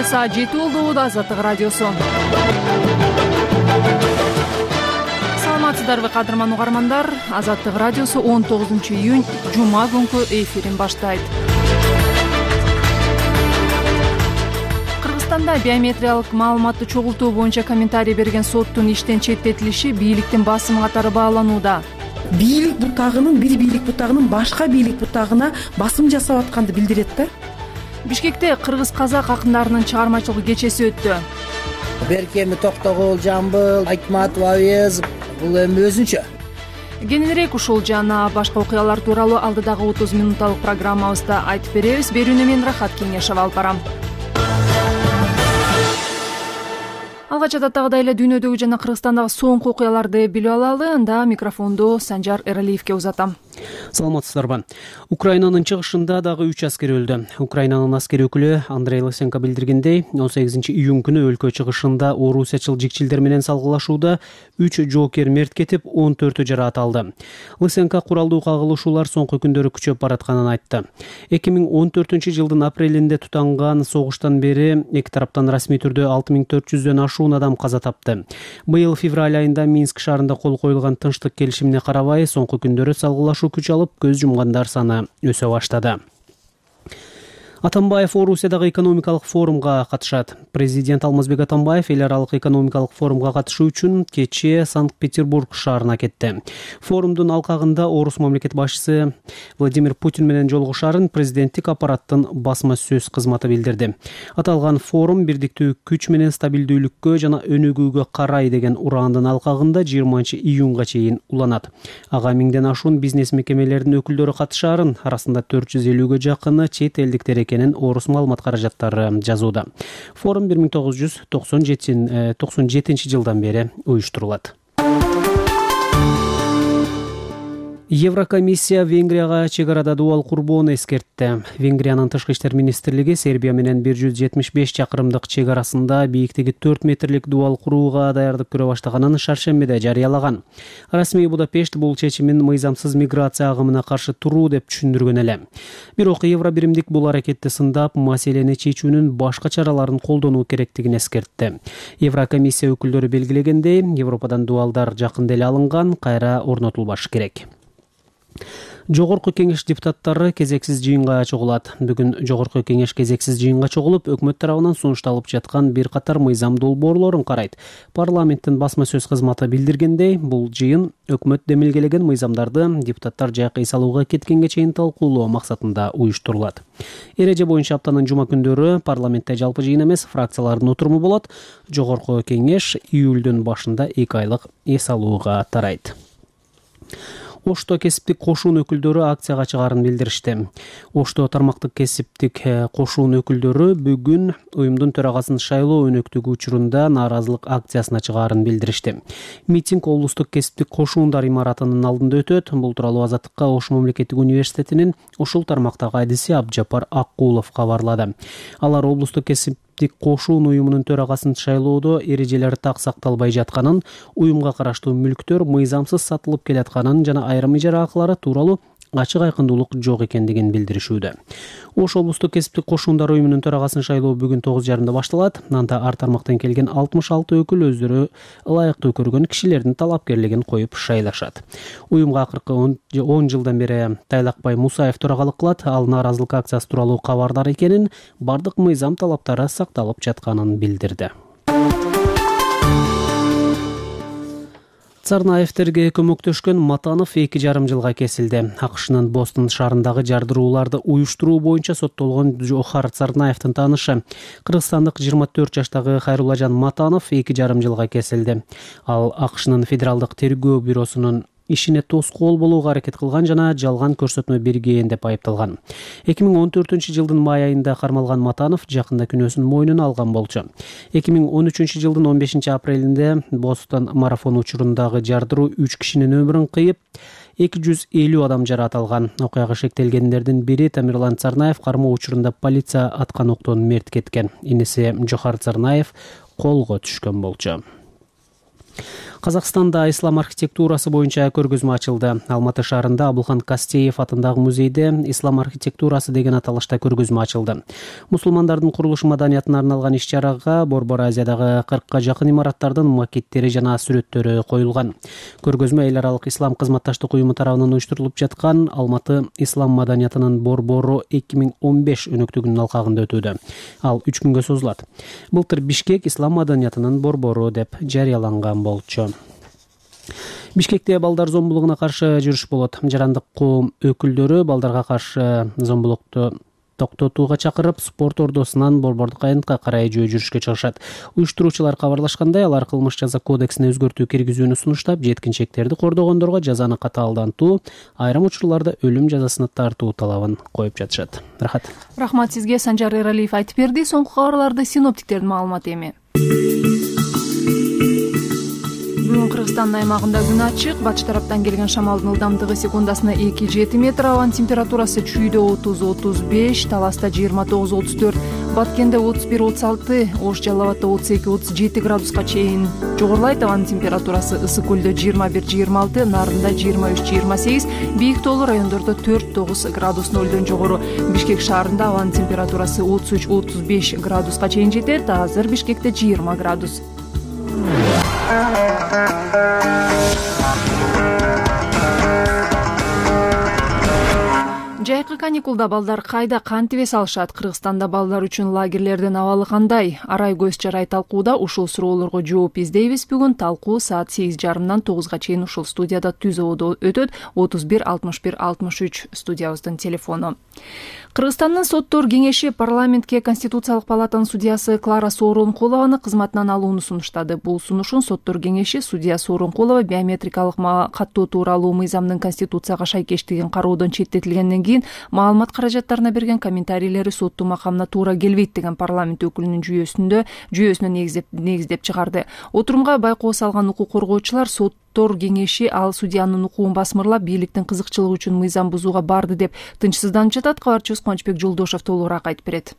саат 7 болду. Азаттык радиосу. Саламатсыздарбы кадырман угармандар? Азаттык радиосу 19-июнь жума күнкү эфирин баштайт. Кыргызстанда биометриялык маалыматты чогултуу боюнча комментарий берген соттун иштен четтетилиши бийликтин басымы катары бааланууда. Бийлик бутагынын бир бийлик бутагынын башка бийлик бутагына басым жасап атканды билдирет да. Бишкекте кыргыз-казак акындарынын чыгармачылык кечеси өттү. Берки эми Токтогул, Жамбыл, Айтматов, Авезов бул эми өзүнчө. Кененирээк ушул жана башка окуялар тууралуу алдыдагы 30 минутталык программабызда айтып беребиз. Берүүнү мен Рахат Кеңешев алып барам. Алгач адаттагыдай эле дүйнөдөгү жана Кыргызстандагы соңку окуяларды билип алалы. Анда микрофонду Санжар Эралиевке узатам. Саламатсыздарбы. Украинанын чыгышында дагы 3 аскер өлдү. Украинанын аскер өкүлү Андрей Лысенко билдиргендей, 18-июнь күнү өлкө чыгышында орусиячыл жикчилдер менен салгылашууда 3 жоокер мерт кетип, 14 жараат алды. Лысенко куралдуу кагылышуулар соңку күндөрү күчөп баратканын айтты. 2014-жылдын апрелинде тутанган согуштан бери эки тараптан расмий түрдө 6400дөн ашуун адам каза тапты. Быйыл февраль айында Минск шаарында кол коюлган тынчтык келишимине карабай, соңку күндөрү салгылашуу күч алып, көз жумгандар саны өсө баштады. Атамбаев Орусиядагы экономикалык форумга катышат. Президент Алмазбек Атамбаев эл аралык экономикалык форумга катышуу үчүн кечээ Санкт-Петербург шаарына кетти. Форумдун алкагында Орус мамлекет башчысы Владимир Путин менен жолугушарын президенттик аппараттын басма сөз кызматы билдирди. Аталган форум бирдиктүү күч менен стабилдүүлүккө жана өнүгүүгө карай деген ураандын алкагында 20-июнга чейин уланат. Ага 1000ден ашуун бизнес мекемелеринин өкүлдөрү катышарын, арасында 450гө жакыны чет элдиктер экенин Орус маалымат каражаттары жазууда. Форум 1997 бери уюштурулат. Еврокомиссия Венгрияга чек арада дубал курбоону эскертти. Венгриянын тышкы иштер министрлиги Сербия менен 175 чакырымдык чек арасында бийиктиги 4 метрлик дубал курууга даярдык көрө баштаганын шаршембиде жарыялаган. Расмий Будапешт бул чечимин мыйзамсыз миграция агымына каршы туруу деп түшүндүргөн эле. Бирок Евро биримдик бул аракетти сындап, маселени чечүүнүн башка чараларын колдонуу керектигин эскертти. Еврокомиссия өкүлдөрү белгилегендей, Европадан дубалдар жакында эле алынган, кайра орнотулбашы керек. Жогорку кеңеш депутаттары кезексиз жыйынга чогулат. Бүгүн Жогорку кеңеш кезексиз жыйынга чогулуп, өкмөт тарабынан сунушталып жаткан бир катар мыйзам долбоорлорун карайт. Парламенттин басма сөз кызматы билдиргендей, бул жыйын өкмөт демилгелеген мыйзамдарды депутаттар жайкай салууга кеткенге чейин талкуулоо максатында уюштурулат. Эреже боюнча аптанын жума күндөрү парламентте жалпы жыйын эмес, фракциялардын отуруму болот. Жогорку кеңеш июлдун башында 2 айлык эс алууга тарайт. Ошто кесиптик кошуун өкүлдөрү акцияга чыгаарын билдиришти. Ошто тармактык кесиптик кошуун өкүлдөрү бүгүн уюмдун төрагасын шайлоо өнөктүгү учурунда нааразылык акциясына чыгаарын билдиришти. Митинг облустук кесиптик кошуундар имаратынын алдында өтөт. Бул тууралуу Азаттыкка Ош мамлекеттик университетинин ушул тармактагы адиси Абжапар Аккулов кабарлады. Алар облустук кесиптик кошуун уюмунун төрагасын шайлоодо эрежелер так сакталбай жатканын, уюмга караштуу мүлктөр мыйзамсыз сатылып келатканын жана айрым ижара акылары тууралуу ачык айкындуулук жок экендигин билдиришүүдө. Ош облустук кесиптик кошуундар уюмунун төрагасын шайлоо бүгүн 9:30 башталат. Анда ар тармактан келген 66 өкүл өздөрү ылайыктуу көргөн кишилердин талапкерлигин коюп шайлашат. Уюмга акыркы 10 жылдан бери Тайлакбай Мусаев төрагалык кылат. Ал нааразылык акциясы тууралуу кабардар экенин, бардык мыйзам талаптары сакталып жатканын билдирди. Царнаевтерге көмөктөшкөн Матанов 2,5 жылга кесилди. АКШнын Бостон шаарындагы жардырууларды уюштуруу боюнча соттолгон Жохар Царнаевдин таанышы, кыргызстандык 24 жаштагы Хайруллажан Матанов 2,5 жылга кесилди. Ал АКШнын Федералдык тергөө бюросунун ишине тоскоол болууга аракет кылган жана жалган көрсөтмө берген деп айыпталган. 2014-жылдын май айында кармалган Матанов жакында күнөөсүн мойнуна алган болчу. 2013-жылдын 15 апрелинде Бостон марафон учурундагы жардыруу 3 кишинин өмүрүн кыйып, 250 адам жараат алган. Окуяга шектелгендердин бири Тамирлан Царнаев кармоо учурунда полиция аткан октон мерт кеткен. Иниси Жохар Царнаев колго түшкөн болчу. Казакстанда ислам архитектурасы боюнча көргөзмө ачылды. Алматы шаарында Абылхан Кастеев атындагы музейде ислам архитектурасы деген аталышта көргөзмө ачылды. Мусулмандардын курулуш маданиятына арналган иш-чарага Борбор Азиядагы 40ка жакын имараттардын макеттери жана сүрөттөрү коюлган. Көргөзмө эл аралык ислам кызматташтык уюму тарабынан уюштурулуп жаткан Алматы ислам маданиятынын борбору 2015 өнөктүгүнүн алкагында өтүүдө. Ал 3 күнгө созулат. Былтыр Бишкек ислам маданиятынын борбору деп жарыяланган болчу. Бишкекте балдар зомбулугуна каршы жүрүш болот. Жарандык коом өкүлдөрү балдарга каршы зомбулукту токтотууга чакырып, спорт ордосунан борбордук аянтка карай жөө жүрүшкө чыгышат. Уюштуруучулар кабарлашкандай, алар кылмыш жаза кодексине өзгөртүү киргизүүнү сунуштап, жеткинчектерди кордогондорго жазаны катаалдантуу, айрым учурларда өлүм жазасына тартуу талабын коюп жатышат. Рахмат сизге. Санжар Эралиев айтып берди. Соңку кабарларды синоптиктердин маалыматы эми. Бүгүн Кыргызстандын аймагында күн ачык, батыш тараптан келген шамалдын ылдамдыгы секундасына 2-7 метр, абанын температурасы Чүйдө 30-35, Таласта 29-34, Баткенде 31-36, Ош Жалал Абадда 32-37 градуска чейин жогорулайт. Абанын температурасы Ысык көлдө 21-26, Нарында 23-28, Бийик тоолуу райондордо 4-9 градус нөлдөн жогору. Бишкек шаарында абанын температурасы 33-35 градуска чейин жетет. Азыр Бишкекте 20 градус. Жайкы каникулда балдар кайда кантип эс алышат? Кыргызстанда балдар үчүн лагерлердин абалы кандай? Арай көз жарай талкууда ушул суроолорго жооп издейбиз. Бүгүн талкуу саат 8:30-дан 9га чейин ушул студияда түз абада өтөт. 31 61 63 студиябыздын телефону. Кыргызстандын соттор кеңеши парламентке Конституциялык палатанын судьясы Клара Сооронкулованы кызматынан алууну сунуштады. Бул сунушун соттор кеңеши судья Сооронкулова биометрикалык каттоо тууралуу мыйзамдын Конституцияга шайкештигин кароодон четтетилгенден кийин маалымат каражаттарына берген комментарийлери соттун макамына туура келбейт деген парламент өкүлүнүн жүйөсүнө негиздеп чыгарды. Отурумга байкоо салган укук коргоочулар соттор кеңеши ал судьянын укугун басмырлап, бийликтин кызыкчылыгы үчүн мыйзам бузууга барды деп тынчсызданып жатат. Кабарчыбыз Кубанычбек Жолдошов толугураак айтып берет.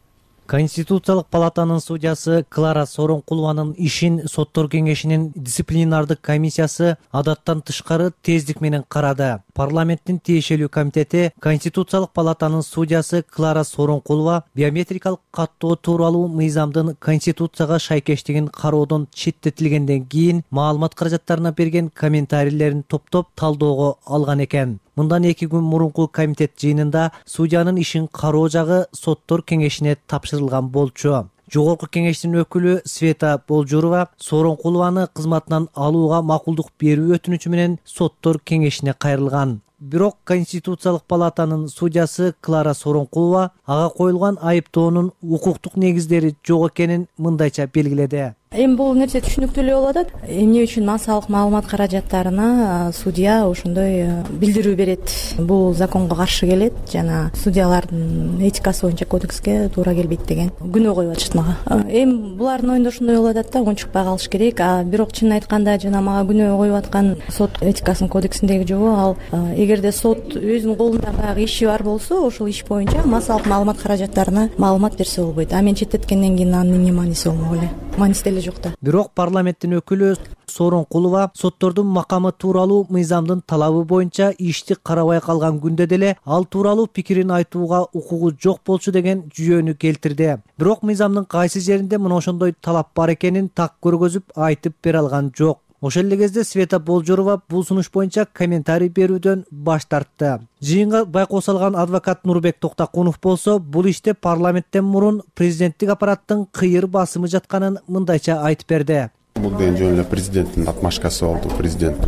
Конституциялык палатанын судьясы Клара Сооронкулованын ишин соттор кеңешинин дисциплинардык комиссиясы адаттан тышкары тездик менен карады. Парламенттин тиешелүү комитети Конституциялык палатанын судьясы Клара Сооронкулова биометрикалык каттоо тууралуу мыйзамдын Конституцияга шайкештигин кароодон четтетилгенден кийин маалымат каражаттарына берген комментарийлерин топтоп талоого алган экен. Мындан 2 күн мурунку комитет жыйынында судьянын ишин кароо жагы соттор кеңешине тапшырылган болчу. Жогорку кеңештин өкүлү Света Болжурова Сооронкулованы кызматынан алууга макулдук берүү өтүнүчү менен соттор кеңешине кайрылган. Бирок Конституциялык палатанын судьясы Клара Сооронкулова ага коюлган айыптоонун укуктук негиздери жок экенин мындайча белгиледи. Эми бул нерсе түшүнүктүү эле болуп атат. Эмне үчүн массалык маалымат каражаттарына судья ошондой билдирүү берет? Бул законго каршы келет жана судьялардын этикасы боюнча кодекске туура келбейт деген күнөө коюп атышат мага. Эми булардын оюнда ошондой болуп атат да, унчукпай калыш керек. Бирок чынын айтканда жана мага күнөө коюп аткан сот этикасынын кодексиндеги жобо ал эгерде сот өзүнүн колунда баягы иши бар болсо, ошол иш боюнча массалык маалымат каражаттарына маалымат берсе болбойт. Мен четтеткенден кийин анын эмне мааниси болмок эле? Мааниси деле жок да. Бирок парламенттин өкүлү Сооронкулова соттордун макамы тууралуу мыйзамдын талабы боюнча ишти карабай калган күндө деле ал тууралуу пикирин айтууга укугу жок болчу деген жүйөнү келтирди. Бирок мыйзамдын кайсы жеринде мына ошондой талап бар экенин так көргөзүп айтып бере алган жок. Ошол эле кезде Света Болжурова бул сунуш боюнча комментарий берүүдөн баш тартты. Жыйынга байкоо салган адвокат Нурбек Токтакунов болсо, бул иште парламенттен мурун президенттик аппараттын кыйыр басымы жатканын мындайча айтып берди. Бул деген жөн эле президенттин отмашкасы болду. Президент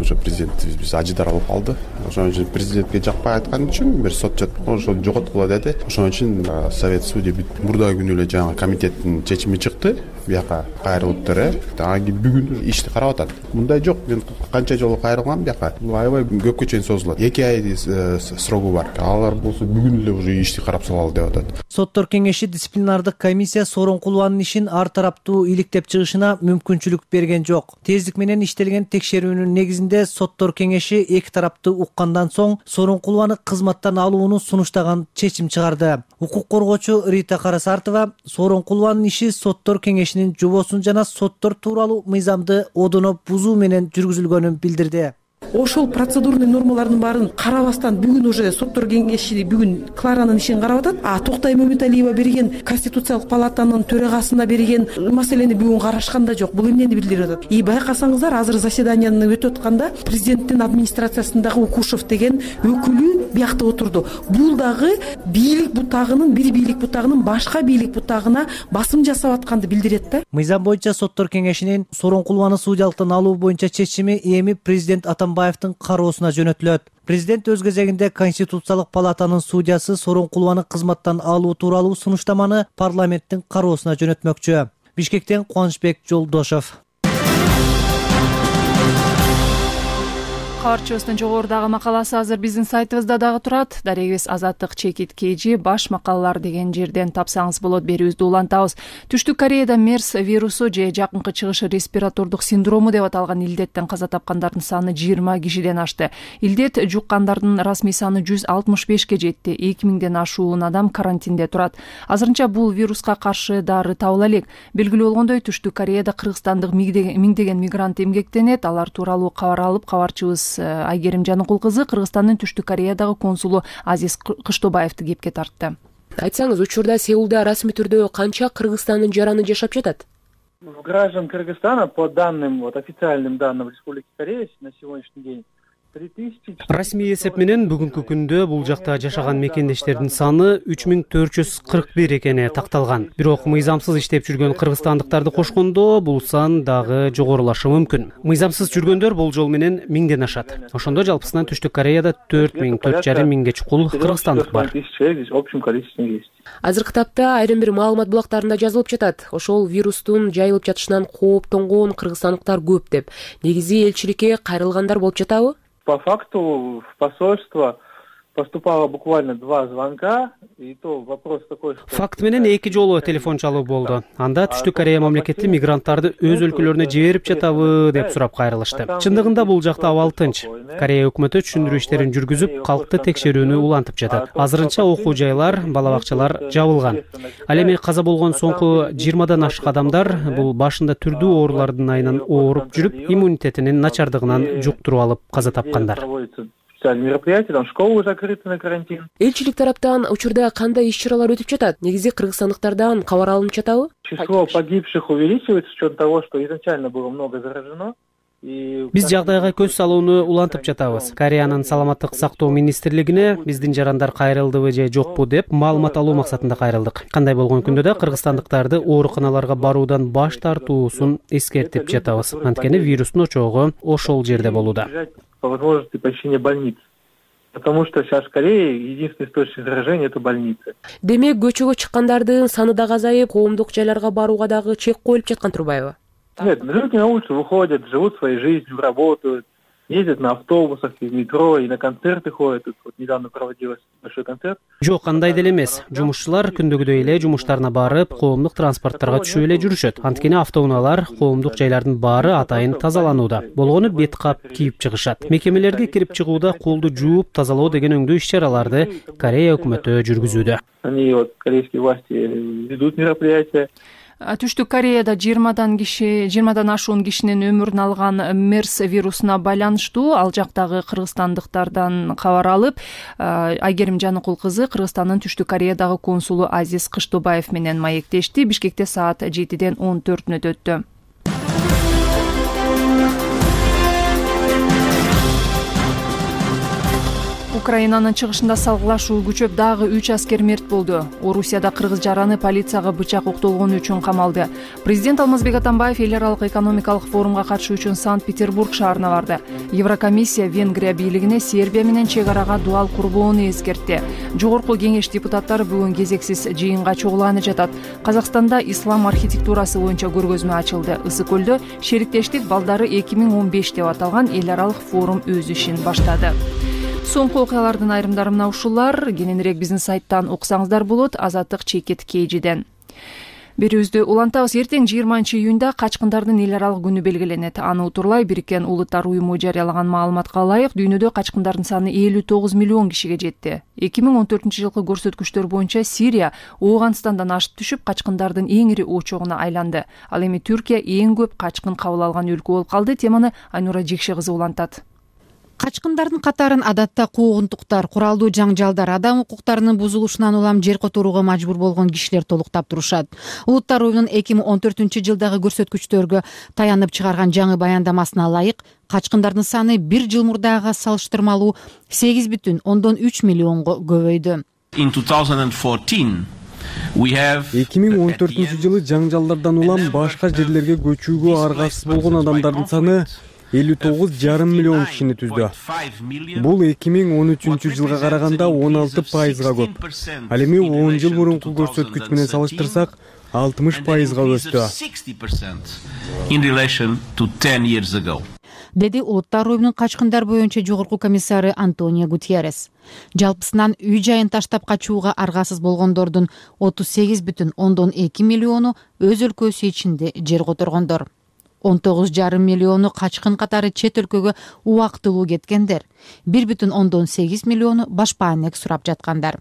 биз ажыдар алып алды. Ошон үчүн президентке жакпай айткан үчүн бир сот ошол жоготкула деди. Ошон үчүн совет судья мурдагы күнү эле жаңы комитеттин чечими чыкты. Бияка кайрылыптыр. Бүгүн ишти карап атат. Мындай жок. Мен канча жолу кайрылгам бияка. Бул аябай көпкө чейин созулат. 2 ай срогу бар. Алар болсо бүгүн эле уже ишти карап салалы деп атат. Соттор кеңеши дисциплинардык комиссия Сооронкулованын ишин ар тараптуу иликтеп чыгышына мүмкүнчүлүк берген жок. Тездик менен иштелген текшерүүнүн негизинде соттор кеңеши эки тарапты уккандан соң Сооронкулованы кызматтан алууну сунуштаган чечим чыгарды. Укук коргоочу Рита Карасартова Сооронкулованын иши соттор кеңешинин жобосун жана соттор тууралуу мыйзамды одоно бузуу менен жүргүзүлгөнүн билдирди. Ошол процедурный нормалардын баарын карабастан бүгүн уже соттор кеңеши бүгүн Кларанын ишин карап атат. Токтой Мөмөталиева берген Конституциялык палатанын төрагасына берген маселени бүгүн карашкан да жок. Бул эмнени билдирип атат? Байкасаңыздар, азыр заседанияны өтүп атканда президенттин администрациясындагы Укушев деген өкүлү биякта отурду. Бул дагы бийлик бутагынын бир бийлик бутагынын башка бийлик бутагына басым жасап атканды билдирет да. Мыйзам боюнча соттор кеңешинин Сооронкулованы судьялыктан алуу боюнча чечими эми президент Атамбаевдин кароосуна жөнөтүлөт. Президент өз кезегинде Конституциялык палатанын судьясы Сооронкулованы кызматтан алуу тууралуу сунуштаманы парламенттин кароосуна жөнөтмөкчү. Бишкектен Кубанычбек Жолдошов. Кабарчыбыздын жогорудагы макаласы азыр биздин сайтыбызда дагы турат. Дарегибиз Азаттык чекит KG баш макалалар деген жерден тапсаңыз болот. Берүүбүздү улантабыз. Түштүк Кореяда MERS вирусу же жакынкы чыгыш респиратордук синдрому деп аталган илдеттен каза тапкандардын саны 20 кишиден ашты. Илдет жуккандардын расмий саны 165 жетти. 2000ден ашуун адам карантинде турат. Азырынча бул вируска каршы дары табыла элек. Белгилүү болгондой, Түштүк Кореяда кыргызстандык миңдеген мигрант эмгектенет. Алар тууралуу кабар алып, кабарчыбыз Айгерим Жаныкул кызы Кыргызстандын Түштүк Кореядагы консулу Азиз Кыштобаевди кепке тартты. Айтсаңыз, учурда Сеулда расмий түрдө канча Кыргызстандын жараны жашап жатат? Граждан Кыргызстана, по данным, официальным данным Республики Корея на сегодняшний день, расмий эсеп менен бүгүнкү күндө бул жакта жашаган мекендештердин саны 3441 экени такталган. Бирок мыйзамсыз иштеп жүргөн кыргызстандыктарды кошкондо бул сан дагы жогорулашы мүмкүн. Мыйзамсыз жүргөндөр болжол менен 1000ден ашат. Ошондо жалпысынан Түштүк Кореяда 4000-4500 чукул кыргызстандык бар. Азыркы тапта айрым бир маалымат булактарында жазылып жатат. Ошол вирустун жайылып жатышынан кооптонгон кыргызстандыктар көп деп. Негизи элчиликке кайрылгандар болуп жатабы? По факту в посольство поступало буквально 2 звонка, и то вопрос такой, что... Факт менен 2 жолу телефон чалуу болду. Анда Түштүк Корея мамлекети мигранттарды өз өлкөлөрүнө жиберип жатабы деп сурап кайрылышты. Чындыгында бул жакта абал тынч. Корея өкмөтү түшүндүрүү иштерин жүргүзүп, калкты текшерүүнү улантып жатат. Азырынча окуу жайлар, бала бакчалар жабылган. Ал эми каза болгон соңку 20дан ашык адамдар бул башында түрдүү оорулардын айынан ооруп жүрүп, иммунитетинин начардыгынан жуктуруп алып каза тапкандар. Мероприятия, там школы закрыты на карантин. Элчилик тараптан учурда кандай иш-чаралар өтүп жатат? Негизи кыргызстандыктардан кабар алынып жатабы? Число погибших увеличивается с учетом того, что изначально было много заражено. Биз жагдайга көз салууну улантып жатабыз. Кореянын саламаттык сактоо министрлигине биздин жарандар кайрылдыбы же жокпу деп маалымат алуу максатында кайрылдык. Кандай болгон күндө да кыргызстандыктарды ооруканаларга баруудан баш тартуусун эскертип жатабыз. Анткени вирустун очогу ошол жерде болууда. По возможности посещения больниц. Потому что сейчас в Корее единственный источник заражения — это больницы. Демек, көчөгө чыккандардын саны да азайып, коомдук жайларга барууга дагы чек коюлуп жаткан турбайбы? Нет, люди на улицу выходят, живут своей жизнью, работают, ездят на автобусах, в метро и на концерты ходят. Тут вот недавно проводилось большой концерт. Жок, андай деле эмес. Жумушчулар күндөгүдөй эле жумуштарына барып, коомдук транспорттарга түшүп эле жүрүшөт. Анткени автоунаалар, коомдук жайлардын баары атайын тазаланууда. Болгону бет кап кийип чыгышат. Мекемелерге кирип чыгууда колду жууп, тазалоо деген өңдүү иш-чараларды Корея өкмөтү жүргүзүүдө. Они вот корейские власти ведут мероприятия. Түштүк Кореяда 20дан ашуун кишинин өмүрүн алган MERS вирусуна байланыштуу ал жактагы кыргызстандыктардан кабар алып, Айгерим Жаныкул кызы Кыргызстандын Түштүк Кореядагы консулу Азиз Кыштобаев менен маектешти. Бишкекте саат 7ден 14 өттү. Украинанын чыгышында салгылашуу күчөп, дагы 3 аскер мерт болду. Орусияда кыргыз жараны полицияга бычак октолгону үчүн камалды. Президент Алмазбек Атамбаев эл аралык экономикалык форумга катышуу үчүн Санкт-Петербург шаарына барды. Еврокомиссия Венгрия бийлигине Сербия менен чек арага дуал курбоону эскертти. Жогорку кеңеш депутаттары бүгүн кезексиз жыйынга чогулганы жатат. Казакстанда ислам архитектурасы боюнча көргөзмө ачылды. Ысык көлдө шериктештик балдары 2015 деп аталган эл аралык форум өз ишин баштады. Соңку окуялардын айрымдары мына ушулар. Кененирээк биздин сайттан окусаңыздар болот. Азаттык чекит KG'ден. Берүүбүздү улантабыз. Эртең 20-июнда качкындардын эл аралык күнү белгиленет. Аны утурлай Бириккен Улуттар уюму жарыялаган маалыматка ылайык дүйнөдө качкындардын саны 59 миллион кишиге жетти. 2014-жылкы көрсөткүчтөр боюнча Сирия Ооганстандан ашып түшүп качкындардын эң ири очогуна айланды. Ал эми Түркия эң көп качкын кабыл алган өлкө болуп калды. Теманы Айнура Жекше кызы улантат. Качкындардын катарын адатта куугунтуктар, куралдуу жаңжалдар, адам укуктарынын бузулушунан улам жер которууга мажбур болгон кишилер толуктап турушат. Улуттар уюмунун 2014-жылдагы көрсөткүчтөргө таянып чыгарган жаңы баяндамасына ылайык, качкындардын саны бир жыл мурдагыга салыштырмалуу 8,3 миллионго көбөйдү. 2014-жылы жаңжалдардан улам башка жерлерге көчүүгө аргасыз болгон адамдардын саны 59,5 миллион кишини түздү. Бул 2013-жылга караганда 16%га көп. Ал эми 10 жыл мурунку көрсөткүч менен салыштырсак 60%га өстү. Деди Улуттар уюмунун качкындар боюнча жогорку комиссары Антонио Гутьеррес. Жалпысынан үй жайын таштап качууга аргасыз болгондордун 38,2 миллиону өз өлкөсү ичинде жер которгондор. 19,5 миллиону качкын катары чет өлкөгө убактылуу кеткендер. 1,8 миллиону башпаанек сурап жаткандар.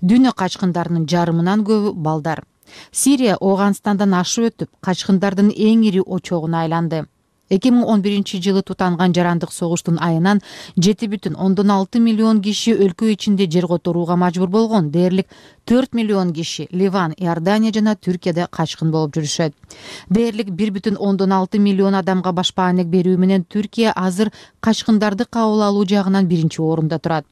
Дүйнө качкындарынын жарымынан көбү балдар. Сирия Ооганстандан ашып өтүп, качкындардын эң ири очогуна айланды. 2011-жылы тутанган жарандык согуштун айынан 7,6 миллион киши өлкө ичинде жер которууга мажбур болгон. Дээрлик 4 миллион киши Ливан, Иордания жана Түркияда качкын болуп жүрүшөт. Дээрлик 1,6 миллион адамга башпаанек берүү менен Түркия азыр качкындарды кабыл алуу жагынан биринчи орунда турат.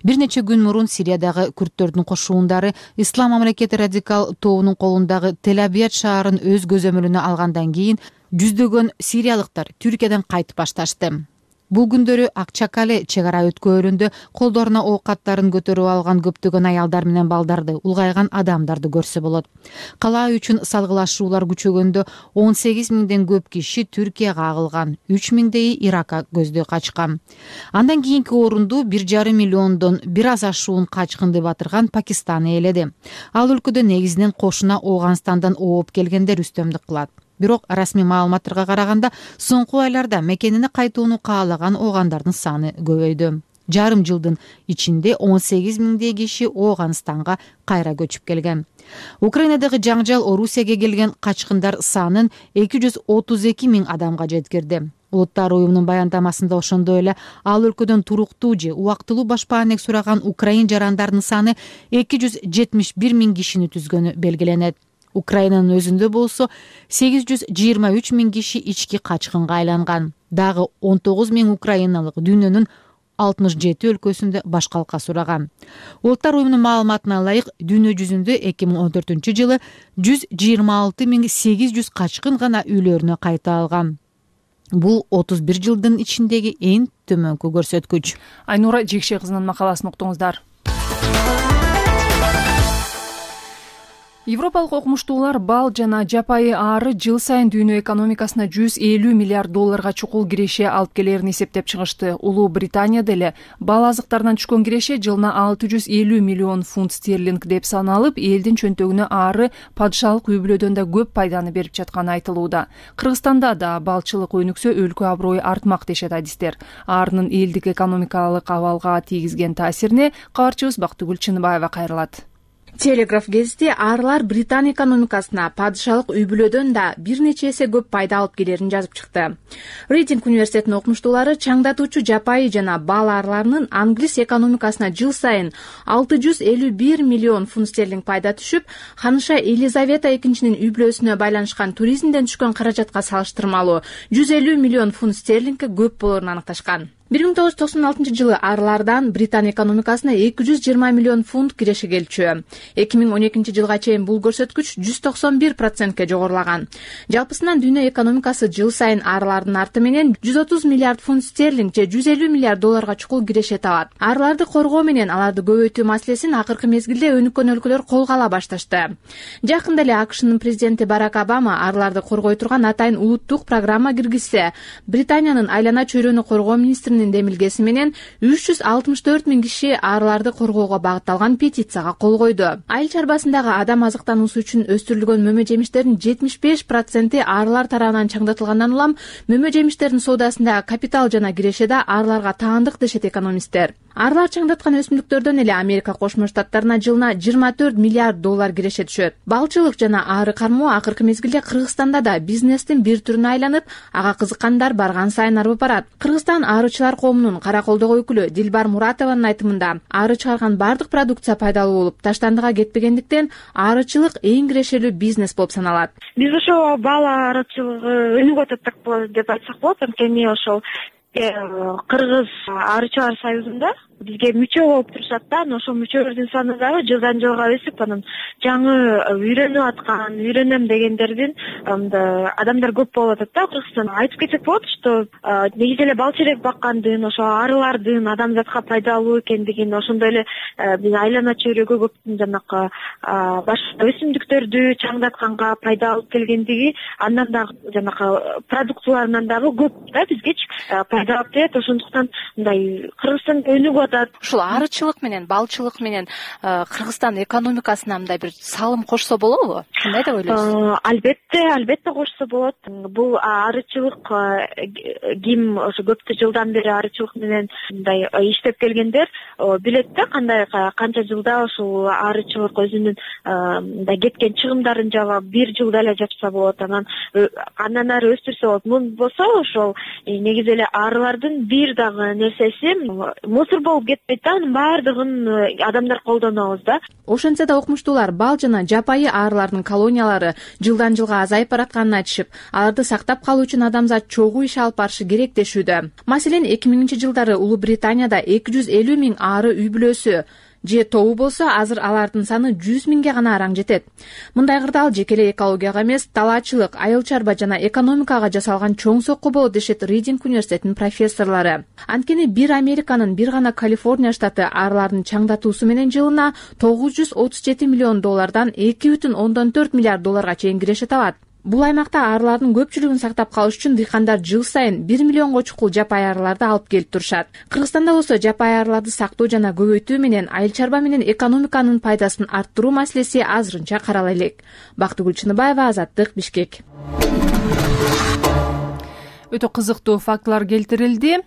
Бир нече күн мурун Сириядагы күрттөрдүн кошуундары Ислам мамлекети радикал тобунун колундагы Тель-Абияд шаарын өз көзөмөлүнө алгандан кийин жүздөгөн сириялыктар Түркиядан кайтып башташты. Бул күндөрү Акчакале чек ара өткөрүндө колдоруна оокаттарын көтөрүп алган көптөгөн аялдар менен балдарды, улгайган адамдарды көрсө болот. Калаа үчүн салгылашуулар күчөгөндө 18 миңден көп киши Түркияга агылган, 3 миңдейи Иракка көздөй качкан. Андан кийинки орунду 1,5 миллиондон бир аз ашуун качкынды батырган Пакистан ээледи. Ал өлкөдө негизинен кошуна Ооганстандан ооп келгендер үстөмдүк кылат. Бирок расмий маалыматтарга караганда соңку айларда мекенине кайтууну каалаган оогандардын саны көбөйдү. Жарым жылдын ичинде 18 миңдей киши Ооганстанга кайра көчүп келген. Украинадагы жаңжал Орусияга келген качкындар санын 232 миң адамга жеткирди. Улуттар уюмунун баяндамасында ошондой эле ал өлкөдөн туруктуу же убактылуу башпаанек сураган украин жарандарынын саны 271 миң кишини түзгөнү белгиленет. Украинанын өзүндө болсо 823 миң киши ички качкынга айланган. Дагы 19 миң украиналык дүйнөнүн 67 өлкөсүндө башкалка сураган. Улуттар уюмунун маалыматына ылайык, дүйнө жүзүндө 2014-жылы 126,800 качкын гана үйлөрүнө кайта алган. Бул 31 жылдын ичиндеги эң төмөнкү көрсөткүч. Айнура Жекше кызынын макаласын уктуңуздар. Европалык окумуштуулар бал жана жапайы аары жыл сайын дүйнө экономикасына 150 миллиард долларга чукул киреше алып келерин эсептеп чыгышты. Улуу Британияда эле бал азыктарынан түшкөн киреше жылына 650 миллион фунт стерлинг деп саналып, элдин чөнтөгүнө аары падышалык үй-бүлөдөн да көп пайданы берип жатканы айтылууда. Кыргызстанда да балчылык өнүксө өлкө аброю артмак дешет адистер. Аарынын элдик экономикалык абалга тийгизген таасирине кабарчыбыз Бактыгүл Чыныбаева кайрылат. Телеграф гезити аарлар Британ экономикасына падышалык үй-бүлөдөн да бир нече эсе көп пайда алып келерин жазып чыкты. Рейтинг университетинин окумуштуулары чаңдатуучу жапайы жана бал аарларынын англис экономикасына жыл сайын 651 миллион фунт стерлинг пайда түшүп, ханыша Елизавета экинчинин үй-бүлөсүнө байланышкан туризмден түшкөн каражатка салыштырмалуу 150 миллион фунт стерлингке көп болорун аныкташкан. 1996 жылы аарлардан Британ экономикасына 220 миллион фунт киреше келчү. 2012 жылга чейин бул көрсөткүч 191%ке жогорулаган. Жалпысынан дүйнө экономикасы жыл сайын аарлардын арты менен 130 миллиард фунт стерлинг же 150 миллиард долларга чукул киреше табат. Аарларды коргоо менен аларды көбөйтүү маселесин акыркы мезгилде өнүккөн өлкөлөр колго ала башташты. Жакында эле АКШнын президенти Барак Обама аарларды коргой турган атайын улуттук программа киргизсе, Британиянын айлана чөйрөнү коргоо министринин мекемесинин демилгеси менен 364 000 киши аарыларды коргоого багытталган петицияга кол койду. Айыл чарбасындагы адам азыктануусу үчүн өстүрүлгөн мөмө жемиштердин 75% аарылар тарабынан чаңдатылгандан улам мөмө жемиштердин соодасында капитал жана кирешеде аарыларга таандык дешет экономисттер. Аарылар чаңдаткан өсүмдүктөрдөн эле Америка Кошмо Штаттарына жылына 24 миллиард доллар киреше түшөт. Балчылык жана ары кармоо акыркы мезгилде Кыргызстанда да бизнестин бир түрүнө айланып, ага кызыккандар барган сайын арбып барат. Кыргызстан аарычылар коомунун Караколдогу өкүлү Дилбар Муратованын айтымында, ары чыгарган бардык продукция пайдалуу болуп, таштандыга кетпегендиктен аарычылык эң кирешелүү бизнес болуп саналат. Биз ошо бал аарычылыгы өнүгүп атат деп айтсак болот. Анткени ошол Кыргыз аарычылар союзунда бизге мүчө болуп турушат да, ошол мүчөлөрдүн саны дагы жылдан жылга өсүп, анан жаңы үйрөнүп аткан, үйрөнөм дегендердин адамдар көп болуп атат да Кыргызстанда. Айтып кетсек болот, что негизи эле бал черек баккандын, ошо арылардын адамзатка пайдалуу экендигин, ошондой эле биз айлана чөйрөгө көптүн жанакы башка өсүмдүктөрдү чаңдатканга пайда алып келгендиги, андан дагы жанакы продукцияларынан дагы көп да бизгечи пайда алып келет. Ошондуктан мындай Кыргызстан өнүгүп атат. Ушул арычылык менен балчылык менен Кыргызстан экономикасына мындай бир салым кошсо болобу? Кандай деп ойлойсуз? Албетте кошсо болот. Бул арычылык ким ошо көптү жылдан бери арычылык менен мындай иштеп келгендер билет да, канча жылда ушул арычылык өзүнүн мындай кеткен чыгымдарын жаап, бир жылда эле жапса болот, андан ары өстүрсө болот. Мун болсо ошол негизи эле арылардын бир дагы нерсеси мусор болуп кетпейт да, анын баардыгын адамдар колдонобуз да. Ошентсе да окумуштуулар бал жана жапайы аарылардын колониялары жылдан жылга азайып баратканын айтышып, аларды сактап калуу үчүн адамзат чогуу иш алып барышы керек дешүүдө. Маселен, 2000-жылдары Улуу Британияда 250 000 ары үй бүлөсү же тобу болсо, азыр алардын саны 100 000ге гана араң жетет. Мындай кырдаал жеке эле экологияга эмес, талаачылык, айыл чарба жана экономикага жасалган чоң сокку болот дешет Ридинг университетинин профессорлору. Анткени бир Американын, бир гана Калифорния штаты аарылардын чаңдатуусу менен жылына $937 миллион 2,4 миллиард долларга чейин киреше табат. Бул аймакта аарылардын көпчүлүгүн сактап калыш үчүн дыйкандар жыл сайын 1 миллионго чукул жапайы аарыларды алып келип турушат. Кыргызстанда болсо жапайы аарыларды сактоо жана көбөйтүү менен айыл чарба менен экономиканын пайдасын арттыруу маселеси азырынча карала элек. Бактыгүл Чыныбаева, Азаттык, Бишкек. Өтө кызыктуу фактылар келтирилди.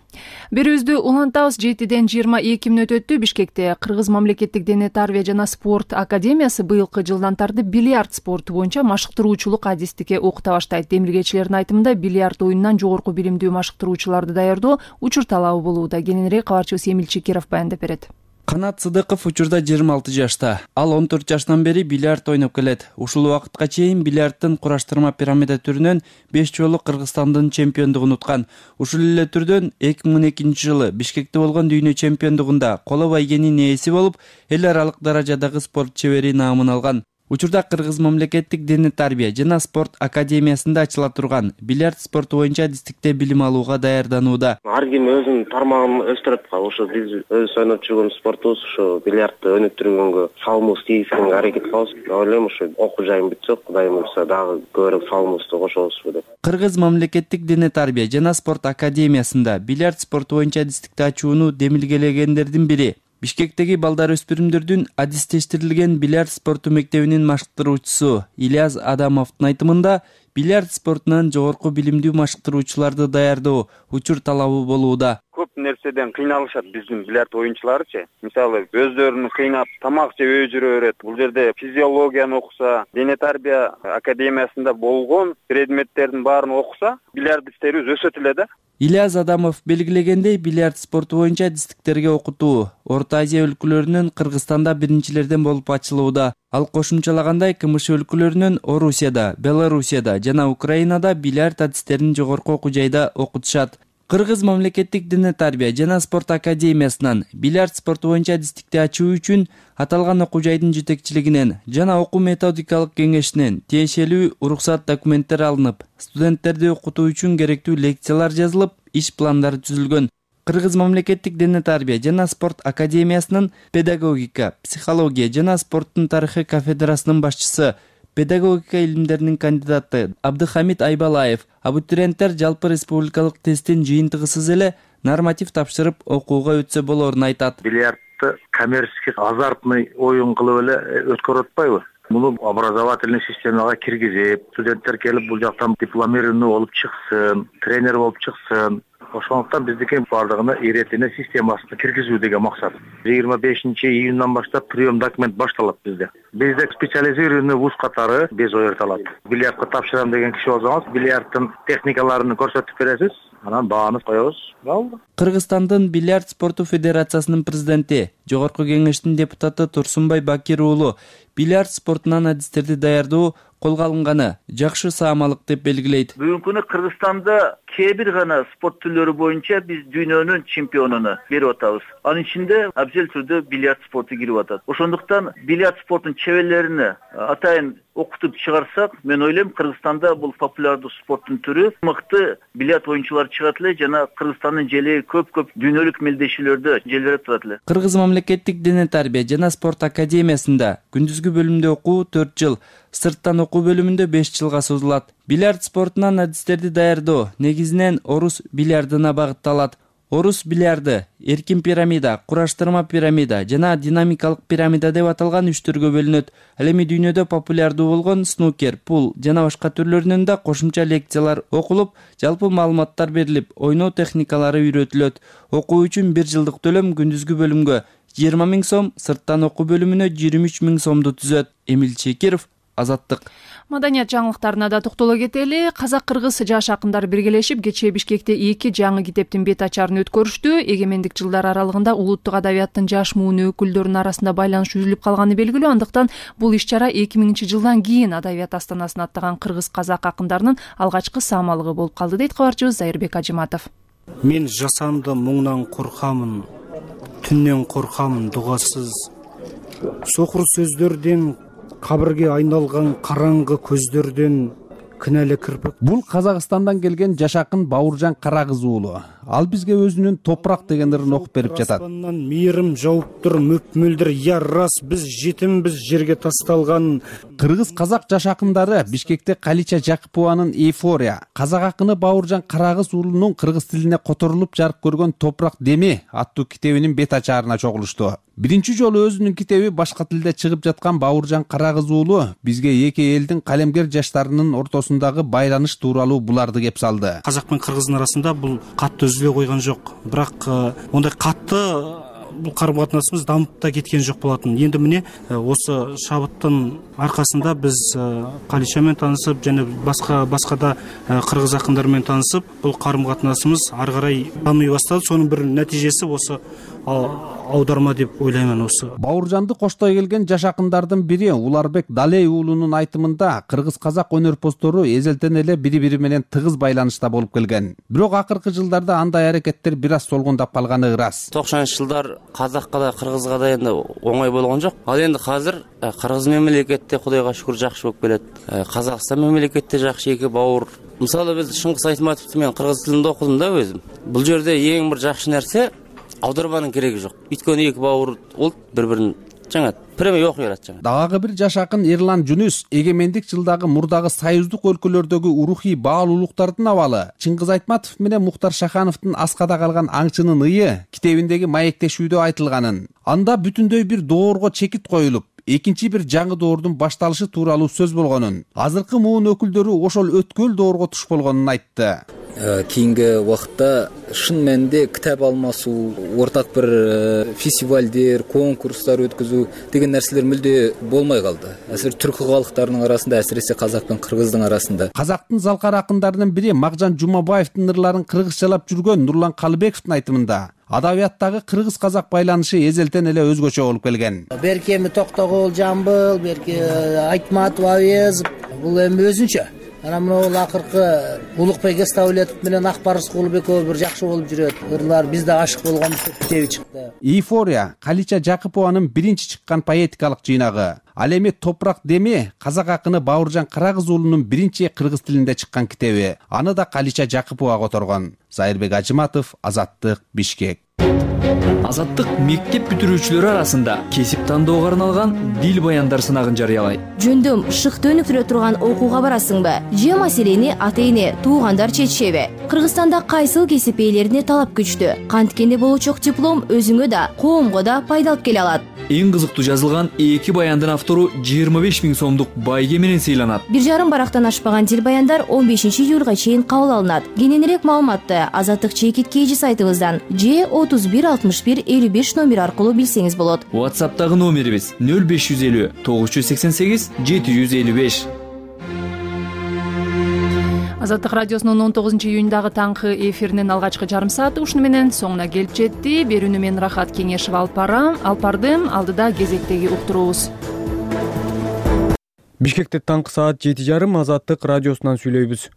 Берүүбүздү улантабыз. 7-ден 22 мүнөт өттү. Бишкекте Кыргыз мамлекеттик дене тарбия жана спорт академиясы быйылкы жылдан тартып бильярд спорту боюнча машыктыруучулук адистикке окута баштайт. Демилгечилердин айтымында бильярд оюнунан жогорку билимдүү машыктыруучуларды даярдоо учур талабы болууда. Кененирээк кабарчыбыз Эмил Чекиров баяндап берет. Канат Сыдыков учурда 26 жашта. Ал 14 жаштан бери бильярд ойноп келет. Ушул убакытка чейин бильярдтын кураштырма пирамида түрүнөн 5 жолу Кыргызстандын чемпиондугун уткан. Ушул эле түрдөн 2012 жылы Бишкекте болгон дүйнө чемпиондугунда коло байгенин ээси болуп, эл аралык даражадагы спорт чебери наамын алган. Учурда Кыргыз мамлекеттик дене тарбия жана спорт академиясында ачыла турган бильярд спорту боюнча адистикте билим алууга даярданууда. Ар ким өзүнүн тармагын өстүрөт. Ошо биз өз ойноп жүргөн спортубуз ошо бильярдты өнүктүргөнгө салымыбыз тийгизгенге аракет кылабыз. Ойлойм ошо окуу жайым бүтсө, Кудайым буйрса дагы көбүрөөк салымыбызды кошобузбу деп. Кыргыз мамлекеттик дене тарбия жана спорт академиясында бильярд спорту боюнча адистикти ачууну демилгелегендердин бири Бишкектеги балдар өспүрүмдөрдүн адистештирилген бильярд спорту мектебинин машыктыруучусу Ильяс Адамовдун айтымында бильярд спортунан жогорку билимдүү машыктыруучуларды даярдоо учур талабы болууда. Көп нерседен кыйналышат биздин бильярд оюнчуларычы. Мисалы, өздөрүн кыйнап тамак жебей жүрө берет. Бул жерде физиологияны окуса, дене тарбия академиясында болгон предметтердин баарын окуса, бильярдисттерибиз өсөт эле да. Ильяс Адамов белгилегендей, бильярд спорту боюнча адистиктерге окутуу Орто Азия өлкөлөрүнөн Кыргызстанда биринчилерден болуп ачылууда. Ал кошумчалагандай, КМШ өлкөлөрүнөн Орусияда, Белоруссияда жана Украинада бильярд адистерин жогорку окуу жайда окутушат. Кыргыз мамлекеттик дене тарбия жана спорт академиясынан бильярд спорту боюнча адистикти ачуу үчүн аталган окуу жайдын жетекчилигинен жана окуу методикалык кеңешинен тиешелүү уруксат документтер алынып, студенттерди окутуу үчүн керектүү лекциялар жазылып, иш пландары түзүлгөн. Кыргыз мамлекеттик дене тарбия жана спорт академиясынын педагогика, психология жана спорттун тарыхы кафедрасынын башчысы, педагогика илимдеринин кандидаты Абдыхамид Айбалаев абитуриенттер жалпы республикалык тесттин жыйынтыгысыз эле норматив тапшырып окууга өтсө болорун айтат. Бильярдты коммерческий азартный оюн кылып эле өткөрүп атпайбы? Муну образовательный системага киргизип, студенттер келип бул жактан дипломированный болуп чыксын, тренер болуп чыксын. Ошондуктан биздики бардыгына иретине системасына киргизүү деген максат. 25-июндан баштап прием документ башталат bizde. Бизде специализированный вуз катары без оерталат. Бильярдка тапшырам деген киши болсоңуз, бильярдтын техникаларын көрсөтүп бересиз, анан бааны коебуз. Кыргызстандын бильярд спорту федерациясынын президенти, Жогорку кеңештин депутаты Турсунбай Бакир уулу бильярд спортунан адистерди даярдоо колго алынганы жакшы саамалык деп белгилейт. Бүгүнкү күнү Кыргызстанда кээ бир гана спорт түрлөрү боюнча биз дүйнөнүн чемпионуну берип атабыз. Анын ичинде абзел түрдө бильярд спорту кирип атат. Ошондуктан бильярд спортунун чеберлерине атайын окутуп чыгарсак, мен ойлойм Кыргызстанда бул популярдуу спорттун түрү мыкты бильярд оюнчулар чыгат эле жана Кыргызстандын желеги көп дүнөлүк мелдешүүлөрдө желбиреп турат эле. Кыргыз мамлекеттик дене тарбия жана спорт академиясында күндүзгү бөлүмдө окуу 4 жыл, сырттан окуу бөлүмүндө 5 жылга созулат. Бильярд спортунан адистерди даярдоо негизинен орус бильярдына багытталат. Орус бильярды эркин пирамида, кураштырма пирамида жана динамикалык пирамида деп аталган 3 түргө бөлүнөт. Ал эми дүйнөдө популярдуу болгон снукер, пул жана башка түрлөрүнөн да кошумча лекциялар окулуп, жалпы маалыматтар берилип, ойноо техникалары үйрөтүлөт. Окуу үчүн 1 жылдык төлөм күндүзгү бөлүмгө 20 000 сом, сырттан окуу бөлүмүнө 23 000 сомду түзөт. Эмил Чекиров, Азаттык. Маданият жаңылыктарына да токтоло кетели. Казак-кыргыз жаш акындар биргелешип кечээ Бишкекте 2 жаңы китептин бет ачарын өткөрүштү. Эгемендик жылдар аралыгында улуттук адабияттын жаш муун өкүлдөрүнүн арасында байланыш үзүлүп калганы белгилүү. Андыктан бул иш-чара 2000-жылдан кийин Адабият астанасын аттаган кыргыз-казак акындарынын алгачкы саамалыгы болуп калды дейт кабарчыбыз Зайырбек Ажыматов. Мен жасанды муңнан коркамын, түннөн коркамын дугасыз. Сокур сөздөрдөн кабырге айналган караңгы көздөрдөн кінәлі кірпік. Бұл Қазақстандан келген жаш акын Бауыржан Карагыз уулу. Ал бизге өзүнүн топурак деген ырын окуп берип жатат. Мейрим жауып тур мөп-мөлдүр, я рас биз жетимбиз жерге тасталган. Кыргыз казак жаш акындары Бишкекте Калича Жакыпованын Эйфория, казак акыны Бауыржан Карагыз уулунун кыргыз тилине которулуп жарык көргөн Топурак Деми аттуу китебинин бет ачаарына чогулушту. Биринчи жолу өзүнүн китеби башка тилде чыгып жаткан Бауыржан Карагыз уулу бизге эки элдин калемгер жаштарынын ортосундагы байланыш тууралуу буларды кеп салды. Казак менен кыргыздын арасында бул катты үзүлө койгон жок. Бирок ондай катты бул карым-катнашыбыз дамып да кеткен жок болотун. Энди міне осы шабыттын аркасында биз Калича менен таанышып, жана башка да кыргыз акындар менен таанышып, бул карым-катнашыбыз ары карай дамый баштады. Сонун бир нәтижеси осы аударма деп ойлаймын. Осы Бауыржанды коштой келген жаш акындардын бири Уларбек Далей уулунун айтымында кыргыз-казак өнөрпоздору эзелтен эле бири-бири менен тыгыз байланышта болуп келген. Бирок акыркы жылдарда андай аракеттер бир аз солгундап калганы ырас. 90-жылдар казакка да кыргызга да энди оңой болгон жок. Ал энди азыр кыргыз мамлекетте Кудайга шүгүр жакшы болуп келет. Казакстан мамлекетте жакшы эки бауыр. Мисалы биз Шыңгыс Айтматовду мен кыргыз тилинде окудум да өзүм. Бул жерде эң бир жакшы нерсе аударманын кереги жок. Өйткөнү эки бауыр болуп бири-бирин жаңа премия окуй берет жаңа. Дагы бир жаш акын Эрлан Жүнүс эгемендик жылдагы мурдагы союздук өлкөлөрдөгү урухий баалуулуктардын абалы, Чыңгыз Айтматов менен Мухтар Шахановдун Аскада калган аңчынын ыйы китебиндеги маектешүүдө айтылганын, анда бүтүндөй бир доорго чекит коюлуп, экинчи бир жаңы доордун башталышы тууралуу сөз болгонун, азыркы муун өкүлдөрү ошол өткөл доорго туш болгонун айтты. Кийинки убакытта шын мәнинде китап алмасуу, ортак бир фестивалдер, конкурстар өткөзүү деген нерселер мүлдө болмой калды. Азыр түркү калктарынын арасында, әсиресе казак менен кыргыздын арасында. Казактын залкар акындарынын бири Макжан Жумабаевдин ырларын кыргызчалап жүргөн Нурлан Калыбековдун айтымында адабияттагы кыргыз-казак байланышы эзелтен эле өзгөчө болуп келген. Берки эми Токтогул Жамбыл, берки Айтматов Авезов, бул эми өзүнчө. Анан мына акыркы Улукбек Эставлетов менен Акбарыс кулуб экөө бир жакшы болуп жүрөт. Ырлар бизде ашык болгонбуз деп китеби чыкты. Эйфория Калича Жакыпованын биринчи чыккан поэтикалык жыйнагы. Ал эми Топурак Деми казак акыны Бауыржан Карагыз уулунун биринчи кыргыз тилинде чыккан китеби. Аны да Калича Жакыпова которгон. Зайырбек Ажыматов, Азаттык, Бишкек. Азаттык мектеп бүтүрүүчүлөрү арасында кесип тандоого арналган дил баяндар сынагын жарыялайт. Жөндөм шыкты өнүктүрө турган окууга барасыңбы? Же маселени ата-эне, туугандар чечишеби? Кыргызстанда кайсыл кесип ээлерине талап күчтүү? Канткенде болочок диплом өзүңө да, коомго да пайда алып келе алат. Эң кызыктуу жазылган 2 баяндын автору 25 000 сомдук байге менен сыйланат. 1,5 барактан ашпаган дил баяндар 15 июлга чейин кабыл алынат. Кененирээк маалыматты Азаттык чекит KG сайтыбыздан же 31 61 55 номер аркылуу билсеңиз болот. WhatsApp'тагы номерибиз 0550 988 755. Азаттык радиосунун 19-июндагы таңкы эфиринин алгачкы жарым сааты ушуну менен соңуна келип жетти. Берүүнү мен Рахат Кеңешева алып бардым. Алдыда кезектеги уктуруубуз. Бишкекте таңкы саат 7:30 Азаттык радиосунан сүйлөйбүз.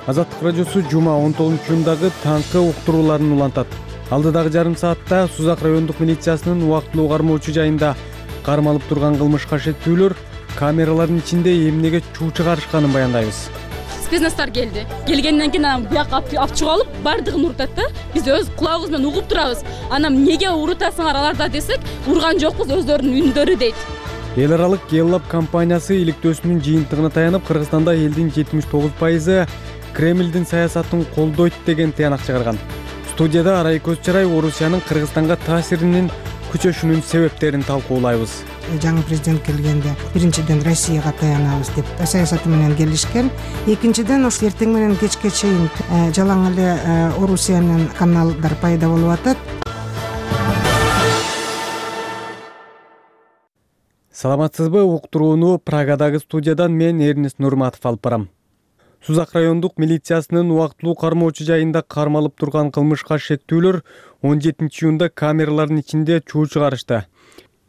Азаттык радиосу жума 19-июндагы таңкы уктурууларын улантат. Алдыдагы жарым саатта Сузак райондук милициясынын убактылуу кармоочу жайында кармалып турган кылмышка шектүүлөр камералардын ичинде эмнеге чуу чыгарышканын баяндайбыз. Спецназдар келди. Келгенден кийин анан бияка алып чыгып алып, бардыгын урутат да. Биз өз кулагыбыз менен угуп турабыз. Анан эмнеге урутасыңар аларда десек, урган жокпуз, өздөрүнүн үндөрү дейт. Эл аралык Yellab компаниясы иликтөөсүнүн жыйынтыгына таянып, Кыргызстанда элдин 79% Кремлдин саясатын колдойт деген тыянак чыгарган. Студияда Арай Көз Чарай Орусиянын Кыргызстанга таасиринин күчөшүнүн себептерин талкуулайбыз. Жаңы президент келгенде биринчиден Россияга таянабыз деп саясаты менен келишкен. Экинчиден ошо эртең менен кечке чейин жалаң эле Орусиянын каналдар пайда болуп атат. Саламатсызбы? Уктурууну Прагадагы студиядан мен Эрнест Нурматов алып барам. Сузак райондук милициясынын убактылуу кармоочу жайында кармалып турган кылмышка шектүүлөр 17-июнда камералардын ичинде чуу чыгарышты.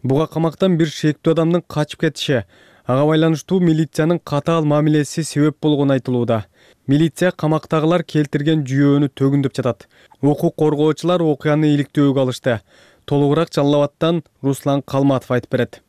Буга камактан бир шектүү адамдын качып кетиши, ага байланыштуу милициянын катаал мамилеси себеп болгону айтылууда. Милиция камактагылар келтирген жүйөөнү төгүндөп жатат. Укук коргоочулар окуяны иликтөөгө алышты. Толугураак Жалал Абадтан Руслан Калматов айтып берет.